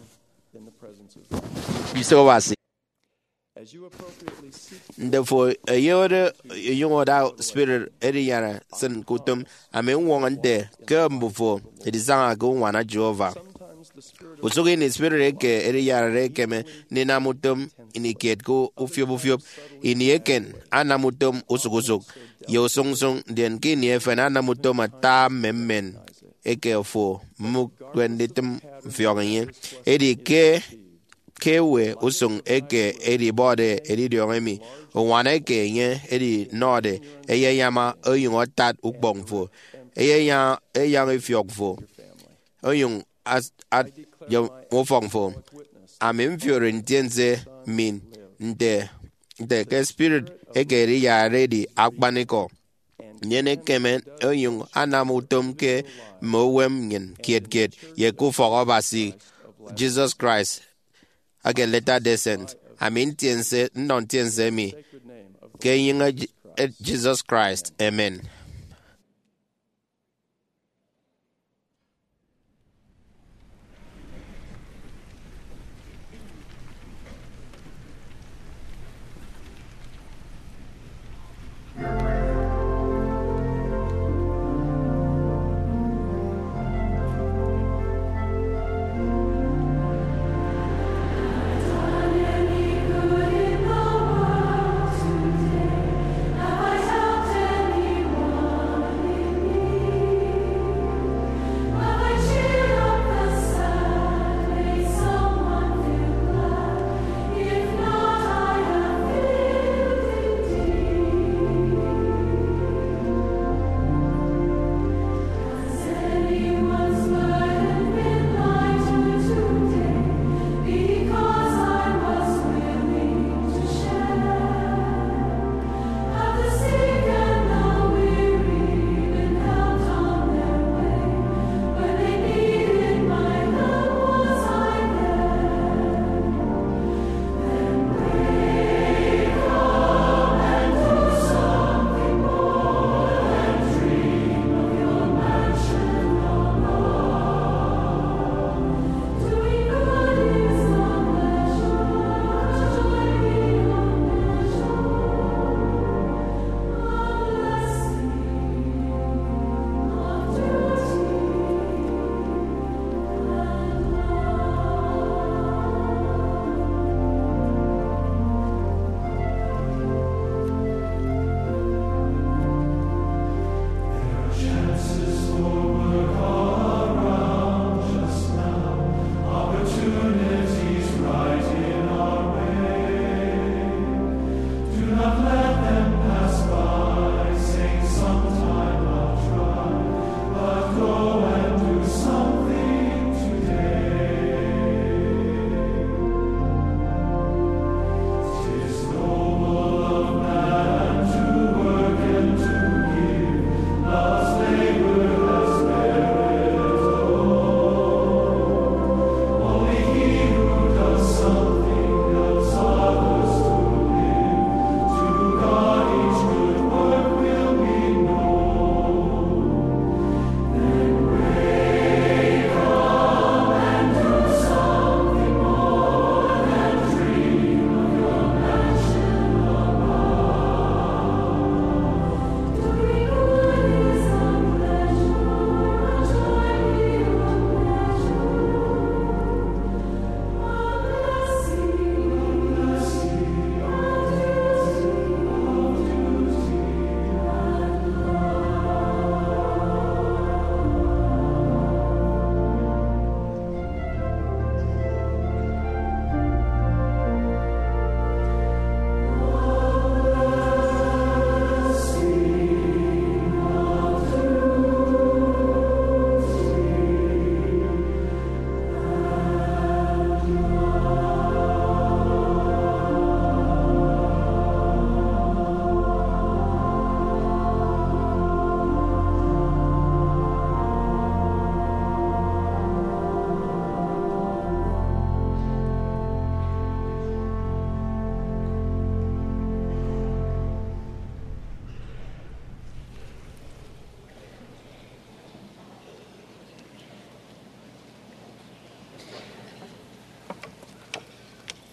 in the presence of God." Kristo Abasi. As you appropriately seek Nte fo eyode enyụñ ọda spirit ediyara sịn ke utom, ami ñwọñọ nte ke mbufo edisaña ke uñwana Jehovah. Usụk ini spirit eke ediyarade ekeme ndinam utom ini kiet ke ufiop ufiop. Ini eken anam utom usụk usụk ye usụñ usụñ, ndien ke ini efen anam utom ata mme mmen eke fo mumụkde nditịm mfiọk enye. Edi ke ke ewe usụñ eke edibọde edidiọñ emi? Uñwana eke enye edinọde eyeyaña onyụñ atat ukpọñ fo, eyeyaña eyaña ifiọk fo, onyụñ at ye ufọk fo. Ami mfiori ntiense mi nte nte ke spirit eke ediyarade edi akpanikọ, ndien ekeme onyụñ anam utom ke mme uwem nnyịn kiet kiet ye ke ufọk Abasi Jesus Christ eke Latter-day Saint. Ami ntiense nnọ ntiense mi ke enyịñ Jesus Christ. Amen.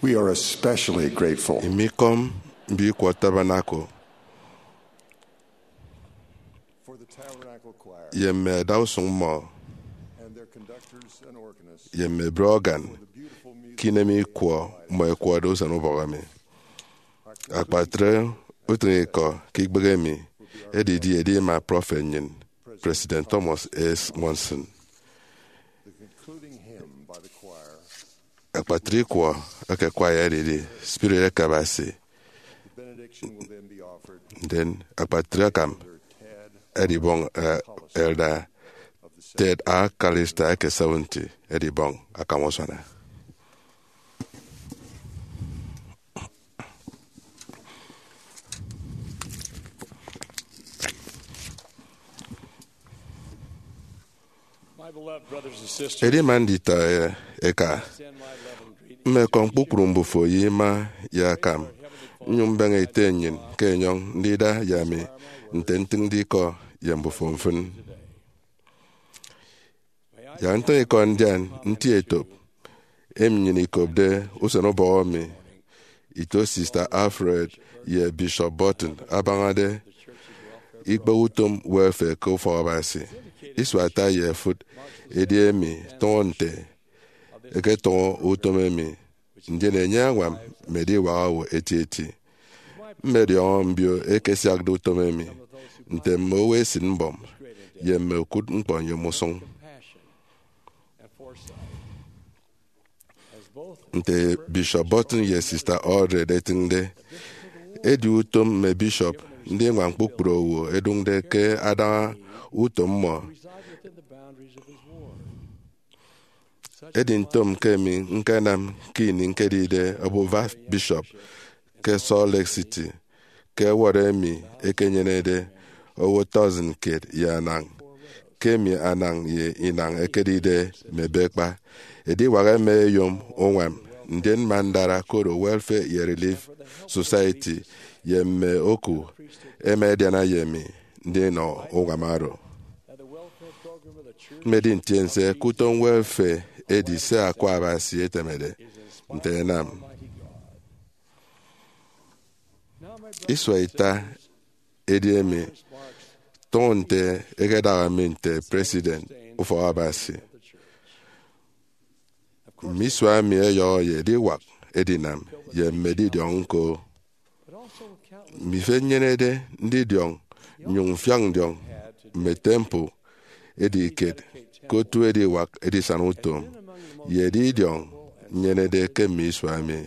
We are especially grateful. Imikọm mbikwọ Tabernacle for the Tabernacle Choir ye mme adausụñ mmọ and their conductors and organists ye mme bre organ for the beautiful music ke inem ikwọ mmọ ẹkwọde usen ubọk emi. Akpatre utịñikọ ke ikpehe emi edidi edima prọfet nnyịn, President Thomas S. Monson. The concluding hymn by the choir. Akpatre ikwọ eke kwaya edidi Spirit eke Abasi. The benediction will then be offered. Ndien akpatre akam edibọñ, eh, Elder Ted A. Callister eke seventy edibọñ akam usuana. My beloved brothers and sisters, edima nditọ eka, extend my love and greeting. Mmekọm kpukpru mbufo ye ima ye akam, nnyụñ mbeñe ete nnyịn ke enyọñ ndida ye ami nte ntịñde ikọ ye mbufo mfịn. Yak ntịñ ikọ ndian nti etop emi nnyịn ikopde usen ubọhọ mi, ito Sister Alfred ye Bishop Burton abañade ikpehe utom welfare ke ufọk Abasi. Isua ata ye efụt edi emi tọñọ nte ẹketọñọ utom emi, ndien enye añwam mme ediwak owo etieti. Mmediọñọ mbio eke ẹsiakde utom emi nte mme owo esịt mbọm ye mme okụt ñkpọ nyom usụñ. Nte Bishop Burton ye Sister Aldred ẹtịñde, edi utom mme bishop ndiñwam kpukpru owo ẹdụñde ke adaña utom mmọ. Edi ntom ke emi ñkenam ke ini ñkedide obufa bishop ke Salt Lake City, ke ward emi ekenyenede owo tọsịn kiet ye anañ, ke emi anañ ye inañ ẹkedide mme ebekpa. Ediwak ẹma ẹyom uñwam, ndien mma ndara koro Welfare ye Relief Society ye mme oku ẹma ẹdiana ye mi ndinọ uñwam oro. Mmedi ntiense ke utom welfare edi se Akwa Abasi etemede nte ẹnam. Isua ita edi emi tọñọ nte ẹkedaha mi nte President ufọk Abasi. Mme isua emi ẹyọhọ ye ediwak edinam ye mme edidiọñ ñko. Mme ifet nnyenede ndidiọñ nnyụñ mfiak ndiọñ mme temple edi kiet ke otu ediwak edisana utom ye edidiọñ nnyenede ke mme isua emi.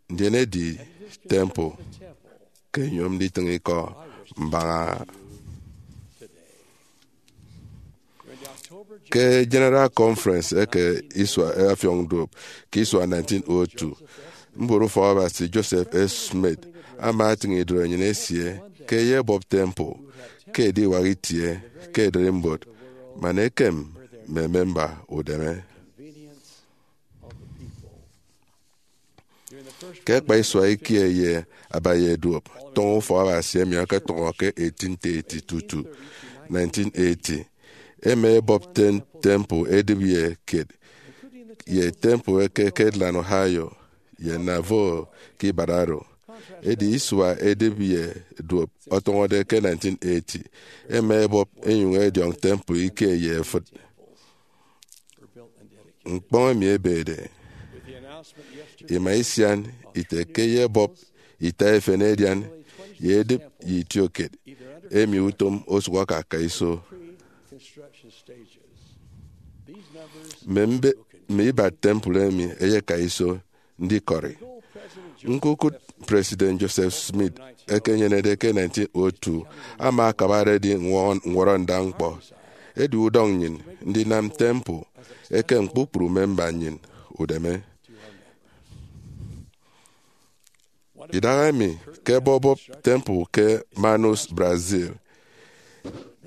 Ndien edi temple ke nyom nditịñ ikọ mbaña. Ke General Conference eke isua ọfiọñ duop ke isua nineteen oh two, mbụrụfọk Abasi Joseph F. Smith ama atịñ idụt enyịn esie ke ẹyebọp temple ke ediwak itie ke ererimbot man ekem mme memba udeme. Ke akpa isua ikie ye abaña duop tọñọ ufọk Abasi emi ọkọtọñọ ke eighteen thirty tutu nineteen eighty, ẹma ẹbọp ten- temple edịp ye kiet, ye temple eke Kirtland, Ohio, ye Nauvoo ke ibat oro. Edi isua edịp ye duop ọtọñọde ke nineteen eighty, ẹma ẹbọp ẹnyụñ ẹdiọñ temple ikie ye efịt. Ñkpọñ emi ebede ima isian ite ke ẹyebọp ita efen ẹdian ye edịp ye itiokiet emi utom osụk aka ka iso. Mme mbe- mme ibat temple emi ẹyeka iso ndikọri. Ñkukụt President Joseph Smith ekenyenede ke nineteen oh two ama akabade edi ñwọ- ñwọrọnda ñkpọ. Edi udọñ nnyịn ndinam temple ekem kpukpru memba nnyịn udeme. Idahaemi ke ẹbọbọp temple ke Manaus, Brazil.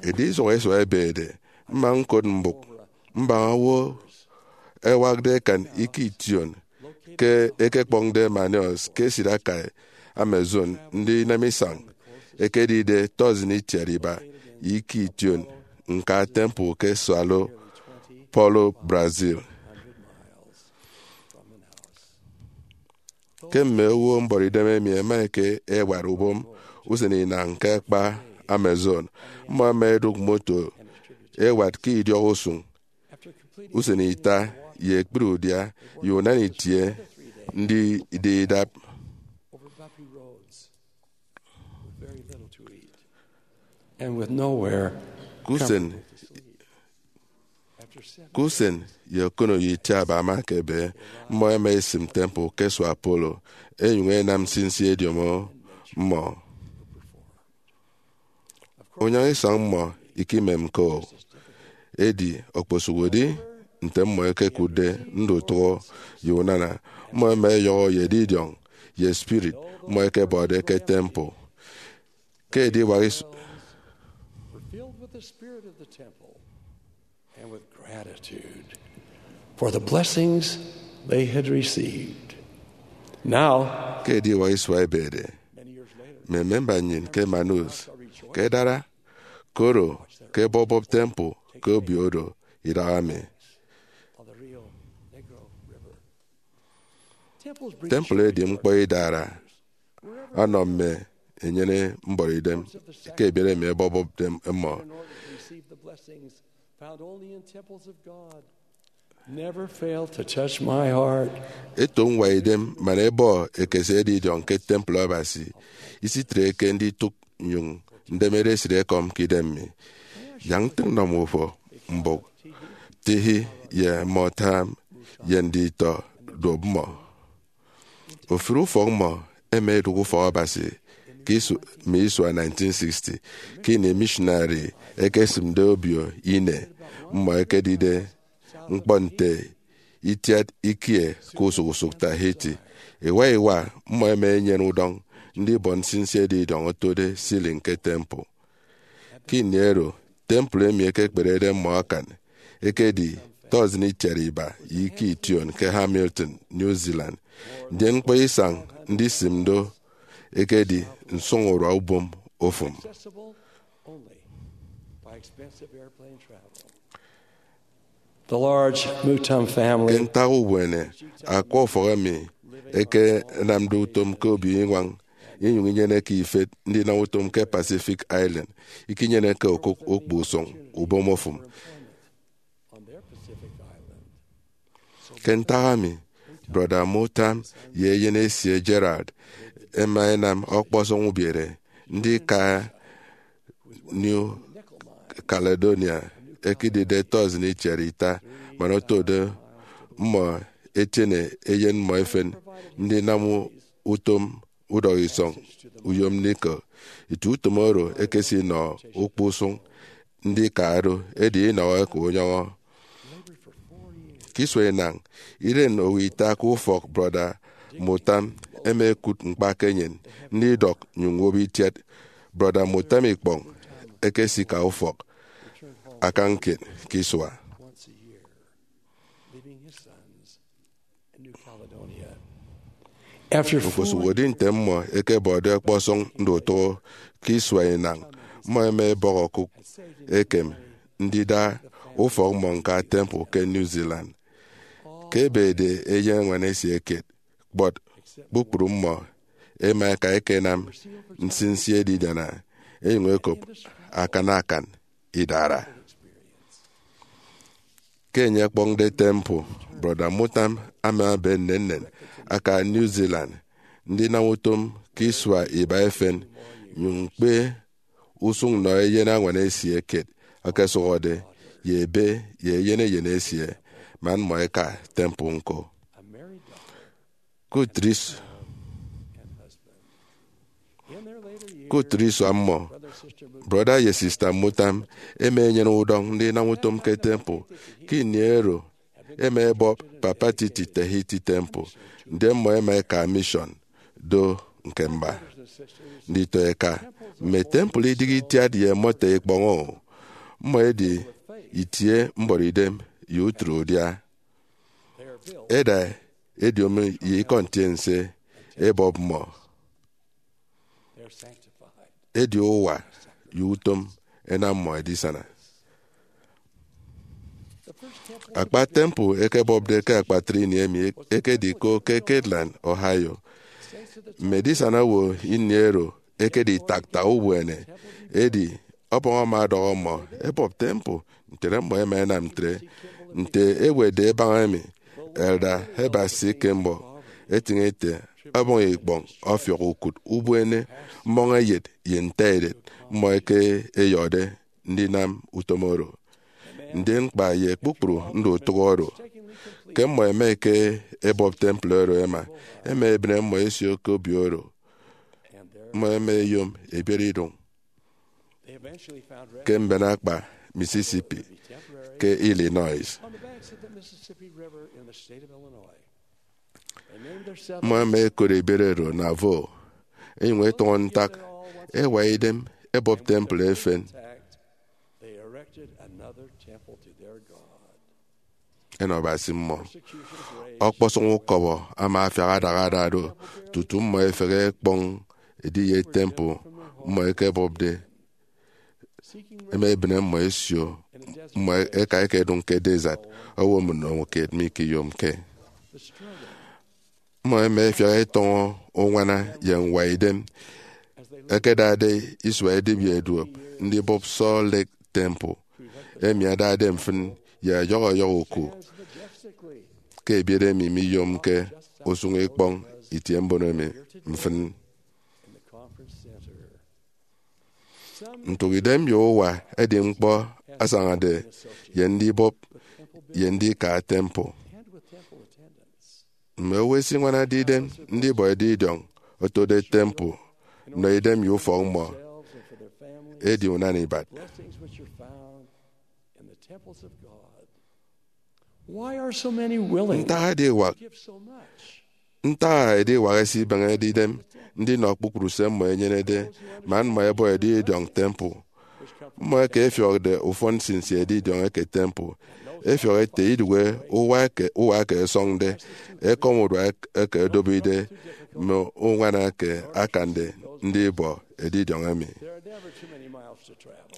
Edi isua isua ebede, mma ñkot mbụk mbaña owo ẹwakde ẹkan ikie ition ke ẹkekpọñde Manaus ke esịt akai Amazon, ndi inemisañ ekedide tọsịn itiat iba ye ikie ition ñka temple ke Sao Paulo, Brazil. Ke mme owo mbọrọidem emi ẹma ẹka ẹwat ubom usen inañ ke akpa Amazon, mmọ ẹma ẹdụk moto ẹwat ke idiọk usụñ usen ita ye ekpri udia ye unana itie ndida idap. And with nowhere Ke usen, comfortable to sleep. Ke usen ye okono ye itiaba ama ekebe, mmọ ẹma ẹsịm temple ke Sao Paulo, ẹnyụñ ẹnam nsinsi ediomo mmọ. Unyaña isọñ mmọ ikimemke-o, edi okposụkedi nte mmọ ẹkekụtde ndutụhọ ye unana, mmọ ẹma ẹyọhọ ye edidiọñ ye spirit mmọ ẹkebọde ke temple. Ke ediwak isu- Were filled with the spirit of the temple and with gratitude for the blessings they had received. Now, ke ediwak isua ebede, many years later, mme memba nnyịn ke Manaus ke dara koro ke ebọbọp temple ke obio oro idahaemi. On the Rio Negro River. Temples bring temple edi joy to ñkpọ idara ọnọ mme enyene mbọrọidem ke ebiere emi ebọbọpde mmọ. Received the blessings found only in temples of God. Never fail to touch my heart. Eto ñwaidem man ebọ ekese edidiọñ ke temple Abasi, isitreke nditụk nnyụñ ndemede esịt ekọm ke idem mi. Yak ntịñ nnọ mmọ ufọk mbụk Tihi ye Motam ye nditọ duop mmọ. Ofụri ufọk mmọ ẹma ẹdụk ufọk Abasi ke isu, mme isua nineteen sixty, ke ini missionary ẹkesịmde obio ine mmọ ẹkedide ñkpọ nte itiat ikie ke usụk usụk Tahiti. Iwa iwa mmọ ẹma ẹnyene udọñ ndibọ nsinsi edidiọñ otode ceiling ke temple. Ke ini oro, temple emi ekekperede mmọ akan ekedi tọsịn itiat iba ye ikie ition ke Hamilton, New Zealand, ndien ñkpọ isañ ndisịm do ekedi nsụñurua ubom ofụm. Accessible only by expensive airplane travel. The large Mutam family. Ke ntak ubuene, akwa ufọk emi ẹkenamde utom ke obio iñwañ inyụñ inyeneke ifet ndinam utom ke Pacific Island ikinyeneke okụk ukpusụñ ubom ofụm. Ke ntak emi, Brọda Mutam ye eyen esie Gerald ẹma ẹnam ọkpọsọñ ubiere ndika New Caledonia, ẹkedide tọsịn itiat ita man otode mmọ ẹtiene eyen mmọ efen ndinam utom udọk isọñ uyom nickel. Eti utom oro ekesinọ ukpusụñ ndika do, edi inọhọke unyọñọ. Ke isua inañ, iren owo ita ke ufọk Brọda Mutam ẹma ẹkụt ñkpa ke enyịn ndidọk nnyụñ ñwop itiat Brọda Mutam ikpọñ. Ẹkesika ufọk akañ kiet ke isua. Okposụkedi nte mmọ ẹkebọde ọkpọsọñ ndutụhọ ke isua inañ, mmọ ẹma ẹbọk okụk ekem ndida ufọk mmọ ñka temple ke New Zealand. Ke ebede eyen añwan esie kiet, kpọt kpukpru mmọ ẹma ẹka ẹkenam nsinsi edidiana, ẹnyụñ ẹkop akan akan idara. Ke enye ọkpọñde temple, Brọda Mutam ama ebe nnennen aka New Zealand ndinam utom ke isua iba efen, nyụñ ñkpe usụñ nnọ eyen añwan esie kiet ekesụhọde ye ebe ye eyen eyen esie, man mmọ ẹka temple ñko. Ke utịt is-, ke utịt isua mmọ, Brọda ye Sista Mutam ẹma ẹnyene udọñ ndinam utom ke temple. Ke ini oro, ẹma ẹbọp Papa Titi Tahiti Temple, ndien mmọ ẹma ẹka mission do ñkemba. Nditọ eka, mme temple idịghe itiat ye mọto ikpọñ-o, mmọ ẹdi itie mbọrọidem ye utịt udia. Ẹda ediomi ye ikọ ntiense ẹbọp mmọ. Edi uwa ye utom ẹnam mmọ ẹdisana. Akpa temple ẹkebọpde ke akpatre ini emi ekedi ko ke Kirtland, Ohio. Mme edisana owo ini oro ẹkedi itaktak ubuene, edi Ọbọñ ama ọdọhọ mmọ ẹbọp temple, ntre mmọ ẹma ẹnam ntre. Nte ewetde ẹbaña emi, Elder Heber C. Kimball etịñ ete, Ọbọñ ikpọñ ọfiọk ukụt ubuene mmọñeyet ye ntaedet mmọ eke ẹyọde ndinam utom oro. Ndien kpa ye kpukpru ndutụk oro, ke mmọ ẹma ẹke ẹbọp temple oro ẹma, ẹma ẹbịne mmọ ẹsio ke obio oro, mmọ ẹma ẹyom ẹbiere idụñ ke mben akpa Mississippi ke Illinois. Mmọ ẹma ẹkot ebiere oro Nauvoo, ẹnyụñ ẹtọñọ ntak ẹwa idem ẹbọp temple efen ẹnọ Abasi mmọ. Ọkpọsọñ ukọbọ ama afiak adaha ada do tutu mmọ ẹfehe ẹkpọñ ediye temple mmọ ẹkebọpde. Ẹma ẹbịne mmọ ẹsio, mmọ ẹka ẹkedụñ ke desert, owo mmịn owo kiet mikiyomke. Mmọ ẹma ẹfiak ẹtọñọ uñwana ye ñwaidem ẹkedade isua edibia eduop ndibọp Salt Lake Temple, emi adade mfịn ye ọyọhọ ọyọhọ oku ke ebiet emi miyomke usụñ ikpọñ itiembono emi mfịn. Ntụk idem ye uwa ẹdi ñkpọ asañade ye ndibọp ye ndika temple. Mme owo ẹsiñwanade idem ndibọ edidiọñ otode temple nnọ idem ye ufọk mmọ edi unan ibat. Why are so many willing Ntak ediwak, to give so much? Ntak ediwak ẹsibeñede idem ndinọ kpukpru se mmọ ẹnyenede man mmọ ẹbọ edidiọñ temple? Mmọ eke ẹfiọkde ufọn nsinsi edidiọñ eke temple ẹfiọk ete idụhe uwa eke, uwa eke ẹsọñde, ekọm urua eke odobide, mme uñwana eke akande ndibọ edidiọñ emi.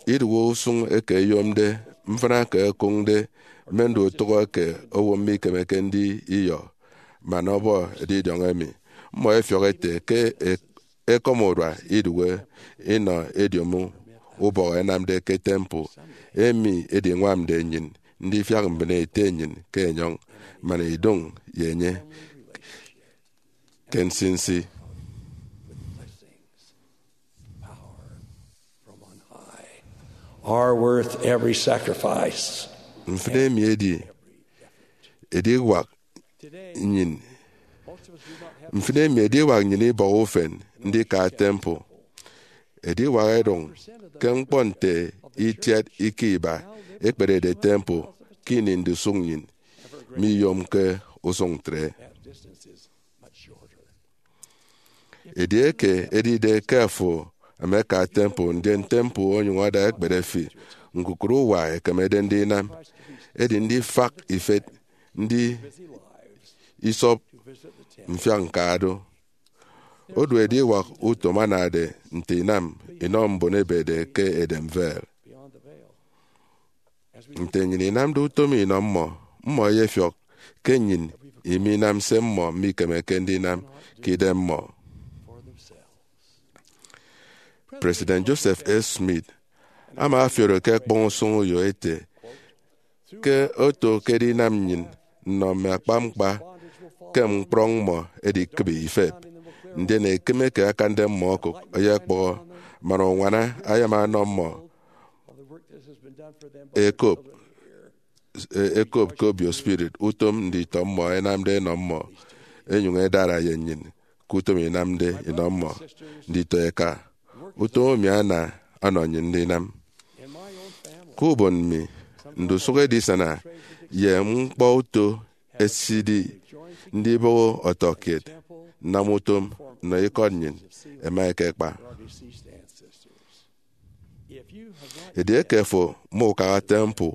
Idụhe usụñ eke ẹyomde, mfịna eke ẹkụñde, mme ndutụk eke owo mikemeke ndiyọ man ọbọ edidiọñ emi. Mmọ ẹfiọk ete ke e- ekọm urua idụhe inọ ediomi ubọhọ ẹnamde ke temple, emi ediñwamde nnyịn ndifiak mbịne ete nnyịn ke enyọñ man idụñ ye enye ke nsinsi. Are worth every sacrifice. Mfịna emi edi ediwak nnyịn. Mfịna emi ediwak nnyịn ibọhọ ufen ndika temple. Ediwak ẹdụñ ke ñkpọ nte itiat ika iba ekperede temple ke ini ndusụk nnyịn miyomke usụñ ntre. Edieke edide ke afo emeka temple, ndien temple onyụñ ada ekpere fi, ñkukụre uwa ekemede ndinam edi ndifak ifet, ndi isọp mfiak ñka do. Odu ediwak utom anade nte inam inọ mbon ebede ke edem veil. Nte nnyịn inamde utom inọ mmọ, mmọ ẹyefiọk ke nnyịn iminam se mmọ mikemeke ndinam ke idemmọ. President Joseph F. Smith ama ọfiọrọ ke ẹkpọñ usụñ uyo ete, ke oto ke edinam nnyịn nnọ mme akpañkpa ke ñkpọñ mmọ edikịbi ifep, ndien ekịm eke akande mmọ okụk eyekpọhọ, man uñwana ayama ọnọ mmọ ekop, e- ekop ke obio spirit utom nditọ mmọ ẹnamde ẹnọ mmọ, ẹnyụñ ẹdara ye nnyịn ke utom inamde inọ mmọ nditọ eka. Utom emi ana ọnọ nnyịn ndinam. Ke ubon mi, ndusụk edisana ye ñkpọuto ẹsidi ndibọhọ ọtọkiet nnam utom nnọ ikọt nnyịn ẹma ẹkekpa. Edieke afo mukaha temple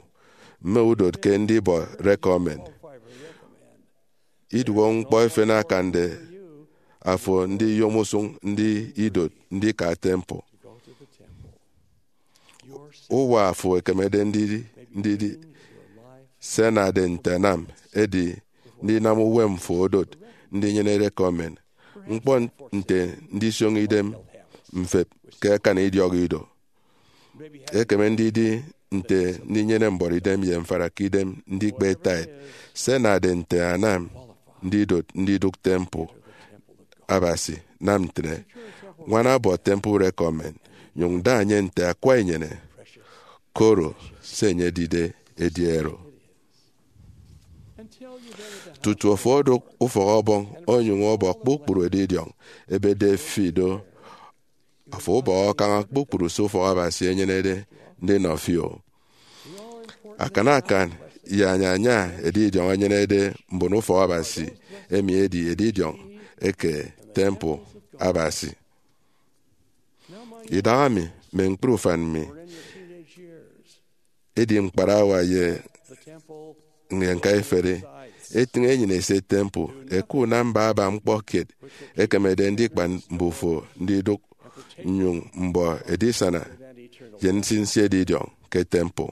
mme udot ke ndibọ recommend, iduọk ñkpọ efen akande afo ndiyom usụñ ndi idot ndika temple. Uwa afo ekemede ndidi, ndidi se anade nte anam edi ndinam uwem fo odot ndinyene recommend. ñkpọ nte ndisioño idem mfep ke akani idiọk ido. Ekeme ndidi nte ndinyene mbuọtidem ye mfara ke idem ndikpe tithe, se anade nte anam ndidot ndidụk temple Abasi. Nam ntre, ñwana ọbọ temple recommend, nyụñ da enye nte akwa inyene, koro se enye edide edi ero. Tutu afo odụk ufọk ọbọñ onyụñ ọbọ kpukpru edidiọñ ebede fi do, afo ubọhọ kaña kpukpru se ufọk Abasi enyenede ndinọ fi o. Akan akan ye anyaña edidiọñ enyenede mbon ufọk Abasi, emi edi edidiọñ eke temple Abasi. Idahaemi, mme ñkpri ufan mi, edi ñkparawa ye ñka iferi, etịñ enyịn esie temple, ẹkụt unam baba ñkpọ kiet ekemede ndikpa mbufo ndidụk nnyụñ mbọ edisana ye nsinsi edidiọñ ke temple.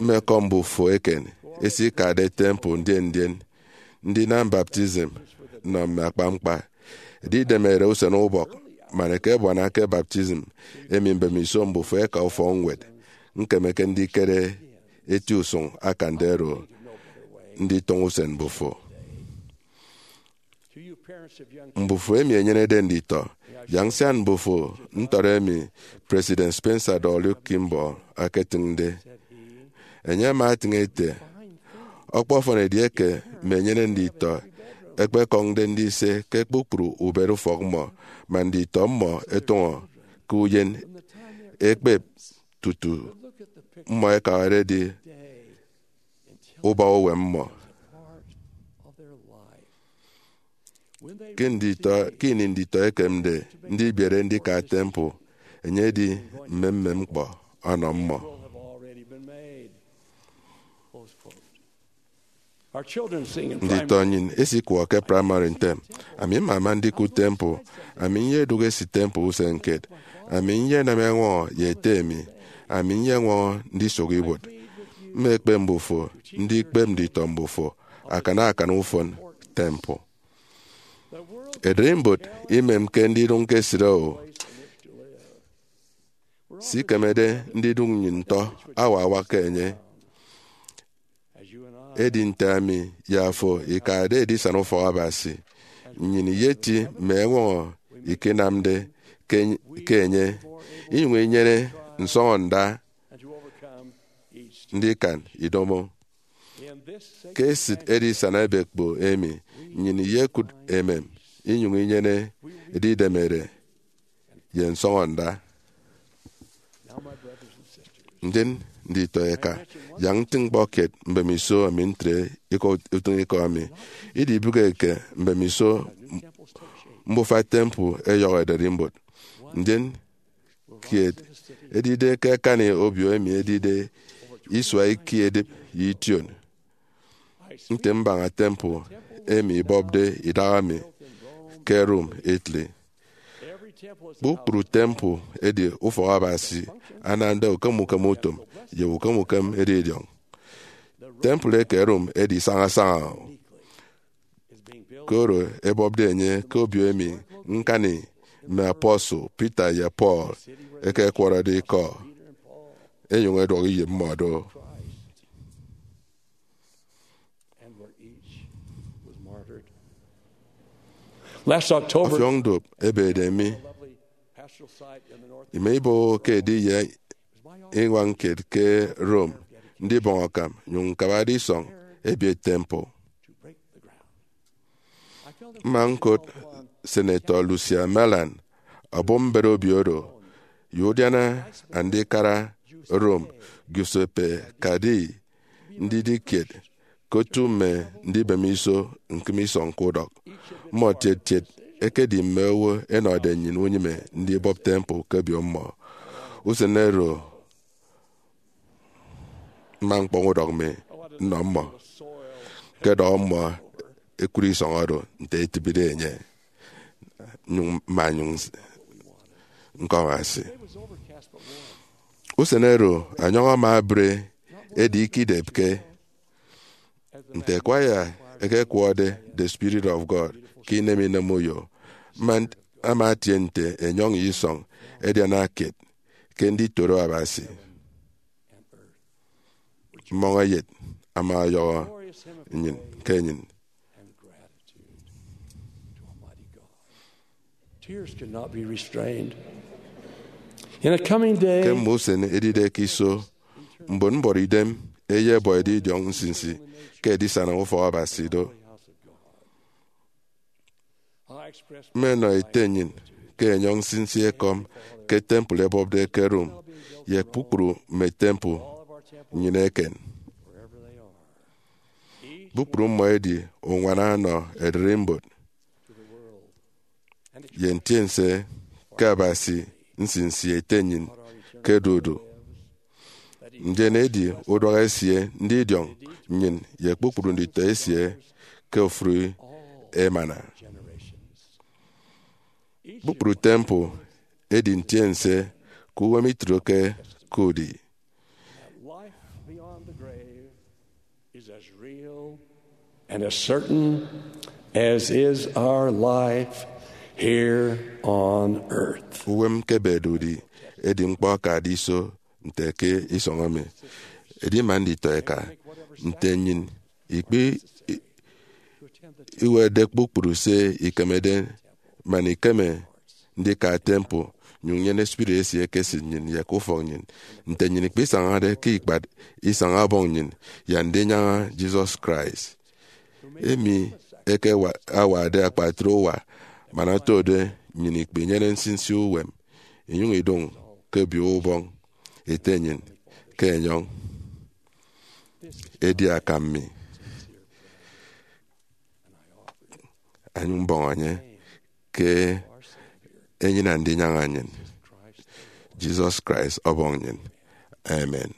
Mme ekọñ mbufo eken esikade temple ndien ndien ndinam baptism nnọ mme akpañkpa. Edidemede usen ubọk man eke ebuana ke baptism emi mbemiso mbufo eka ufọkñwed. Ñkemeke ndikere eti usụñ akande oro nditọñọ usen mbufo. Mbufo emi enyenede nditọ, yak nsian mbufo ntọt emi President Spencer W. Kimball aketịñde. Enye ama etịñ ete, ọkpọfọn edieke mme enyene nditọ ẹkpekọñde ndise ke kpukpru ubet ufọk mmọ, man nditọ mmọ ẹtụñọ ke uyen ekpep tutu mmọ ẹkabade edi ubak uwem mmọ. Ke nditọ, ke ini nditọ ẹkemde ndibiere ndika temple, enye edi mmemmem ñkpọ ọnọ mmọ. Nditọ nnyịn esikwọ ke praịmarị ntem, ami mmama ndikụt temple, ami nyedụk esi temple usen kiet, ami nyenam eñwọñọ ye ete mi, ami nyeñwọñọ ndisụk ibuot. Mmekpe mbufo ndikpep nditọ mbufo akan akan ufọn temple. Ererimbot imemke ndidụñ ke esịt o. Se ikemede ndidụk nnyịn ntọ awa awak ke enye. Edi nte ami ye afo ikade edisana ufọk Abasi, nnyịn iyeti mme eñwọñọ ikenamde ke, ke enye, inyụñ inyene nsọñọnda ndikan idomo. Ke esịt edisana ebekpo emi, nnyịn iyekụt emem inyụñ inyene edidemede ye nsọñọnda. Ndien nditọ eka, yak ntịñ ñkpọ kiet mbemiso emi ntre ikọ utịñikọ emi. Idibụke ke mbemiso mbufa temple ẹyọhọ ererimbot. Ndien kiet edide ke akani obio emi edide isua ikie edịp ye ition, nte mbaña temple emi ibọpde idahaemi ke Rome, Italy. Kpukpru temple edi ufọk Abasi anamde ukem ukem utom ye ukem ukem edidiọñ. Temple eke Rome edi sañasaña, koro ebọpde enye ke obio emi ñkani mme apostle Peter ye Paul ẹkekwọrọde ikọ, ẹnyụñ ẹduọk iyịp mmọ do. Last October, ọfiọñ duop ebede mi. Ime iboho ke ediye iñwañ kiet ke Rome, ndibọñ akam, nyụñ ñkabade isọñ ebiet temple. Mma ñkụt Senator Lucia Merlan, ọbụpmbet obio oro, ye udiana andikara Rome, Giuseppe Cardi, ndidi kiet ke otu mme ndibem iso ñkịm isọñ ke udọk. Mmọ tiet tiet ẹkedi mme owo ẹnọde nnyịn unyịme ndibọp temple ke obio mmọ. Usen oro, mma ñkpọñ udọk mi nnọ mmọ, ñkọdọhọ mmọ ẹkụre isọñ oro nte itịbide enye, nyụñ mma nyụñ ñkọñ asi. Usen oro, anyọñ ama ebre, edi ikidepke. Nte kwaya ẹkekwọde The Spirit of God, ke inem inem uyo, man ama atie nte enyọñ ye isọñ ẹdiana kiet ke nditoro Abasi. Mmọñ eyet ama ọyọhọ nnyịn ke nnyịn. Tears could not be restrained. In a coming day, ke mme usen edide ke iso, mbon mbọrọ idem ẹyebọ edidiọñ nsinsi ke edisana ufọk Abasi do. Mmenọ ete nnyịn ke enyọñ nsinsi ekọm ke temple ẹbọpde ke Rome ye kpukpru mme temple nnyịn eken. Kpukpru mmọ edi uñwana ọnọ ererimbot ye ntiense ke Abasi nsinsi ete nnyịn ke dudu. Ndien edi uduak esie ndidiọñ nnyịn ye kpukpru nditọ esie ke ofụri emana. Kpukpru temple edi ntiense ke uwem itroke ke udi. Life beyond the grave is as real and as certain as is our life here on earth. Uwem ke bedudi edi ñkpọ akade iso nte ke isọñ emi. Edi man nditọ eka nte nnyịn ikpe i-, iwetde kpukpru se ikemede, man ikeme ndika temple, nyụñ nyene spirit esie ke esịt nnyịn ye ke ufọk nnyịn, nte nnyịn ikpisañade ke ikpat isañ ọbọñ nnyịn ye Andinyaña Jesus Christ, emi eke wa-, awade akpatre uwa, man otode nnyịn ikpenyene nsinsi uwem, inyụñ idụñ ke obio ubọñ ete nnyịn ke enyọñ. Edi akam mi, anyụñ mbọñ enye ke enyịn Andinyaña nnyịn, Jesus Christ, ọbọñ nnyịn. Amen.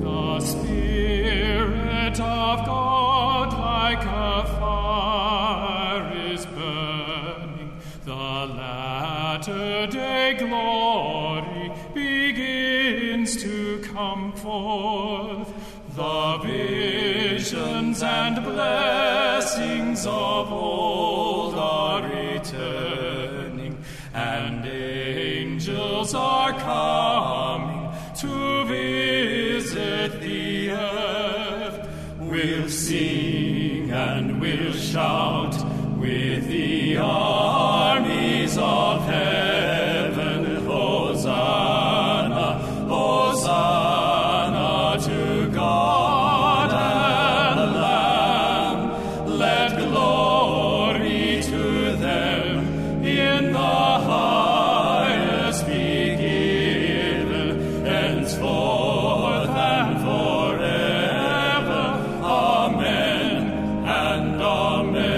The Spirit of God like a fire is burning. The latter day glory begins to come forth. The visions and blessings of old are returning, and angels are coming to visit the earth. We'll sing and we'll shout with the armies of heaven. Hosanna, Hosanna to God and Lamb. Let glory to them in the highest be given, henceforth and forever. Amen and amen.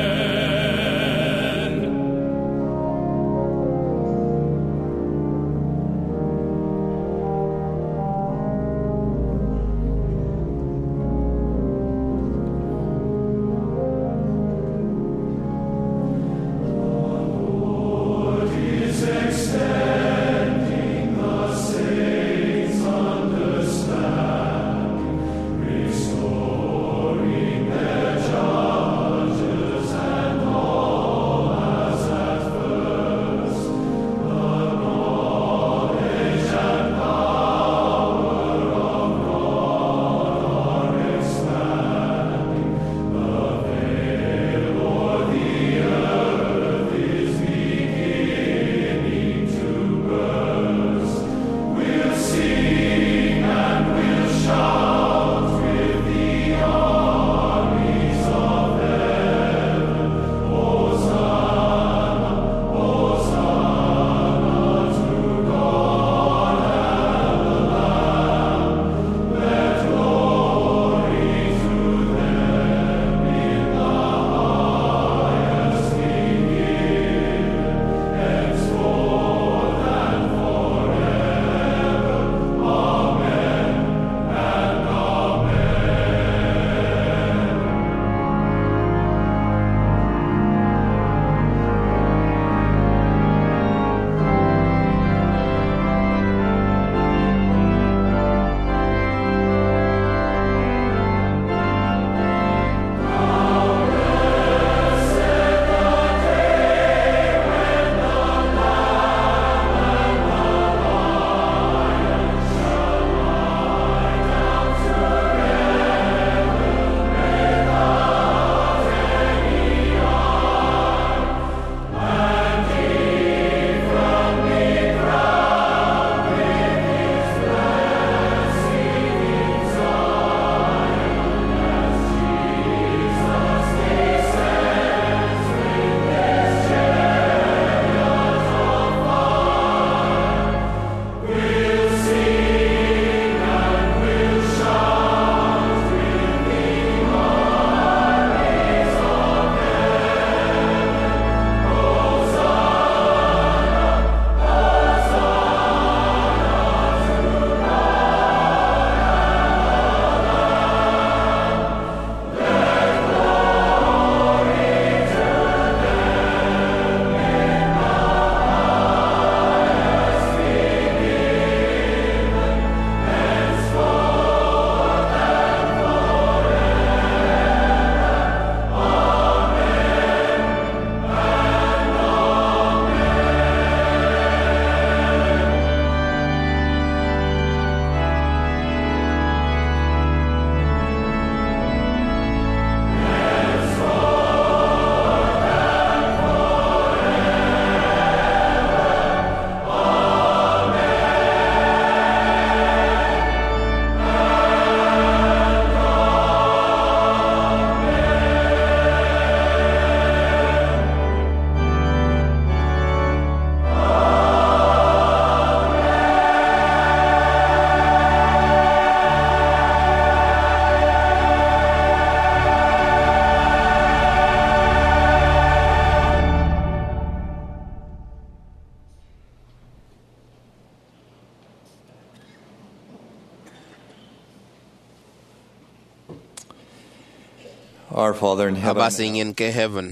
Our Father in heaven, Abasi nnyịn ke heaven,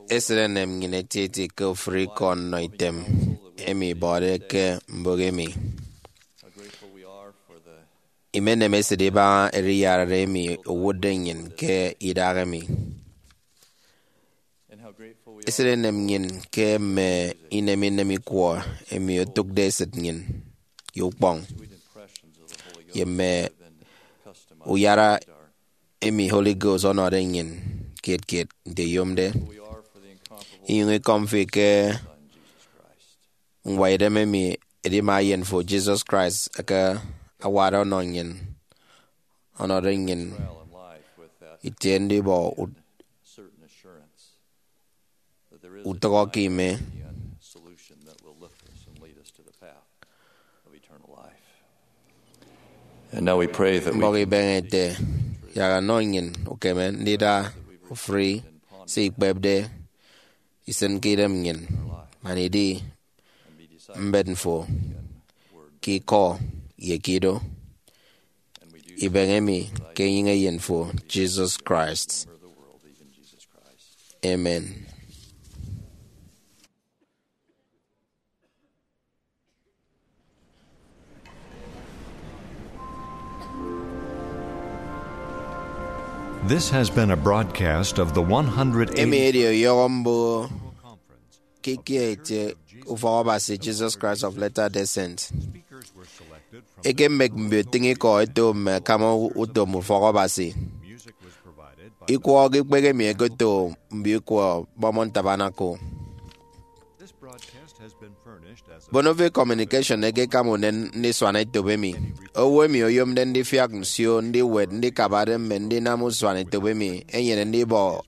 esịt enem nnyịn etieti ke ofụri ikọ nnọ item emi ibọde ke mbụk emi. How grateful we are for the Imenem esịt ibaña eriyarare emi owụtde nnyịn ke idahaemi. And how grateful we Esịt are enem nnyịn ke mme inem inem ikwọ emi otụkde esịt nnyịn ye ukpọñ, sweet impressions of the Holy Ghost ye mme rather than customized uyara our emi Holy Ghost ọnọde nnyịn kiet kiet nte eyomde. We are for the incomparable Inyụñ ikọm fi ke Son, Jesus Christ. Ñwaidem emi edima Eyen fo, Jesus Christ, eke awade ọnọ nnyịn, ọnọde nnyịn Trial in life with that itie ndibọ ut- certain assurance that there is a utọk ke time ime. Beyond solution that will lift us and lead us to the path of eternal life. And now we pray that we Mbọk can ibeñe ete, yak ọnọ nnyịn ukeme ndida ofụri se ikpepde isịn ke idem nnyịn, man idi mbet fo ke ikọ ye ke ido. Ibeñe mi ke enyịñ Eyen fo, Jesus Christ. Amen. This has been a broadcast of the one hundred eighty Emi edi ọyọhọ mbụghọ ke ikie itie Ufọk Abasi Jesus Christ of Latter-day Saints. Ekemek mbio utịñikọ ẹto mme akama utom Ufọk Abasi. Ikwọ ke ikpehe emi ẹketo mbio ikwọ Mormon Tabernacle. Bonove Communication ekekam unen ndisuan etop emi. Owo emi oyomde ndifiak nsio, ndiwet, ndikabade, mme ndinam usuan etop emi enyene ndibọ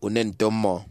unen nto mmọ.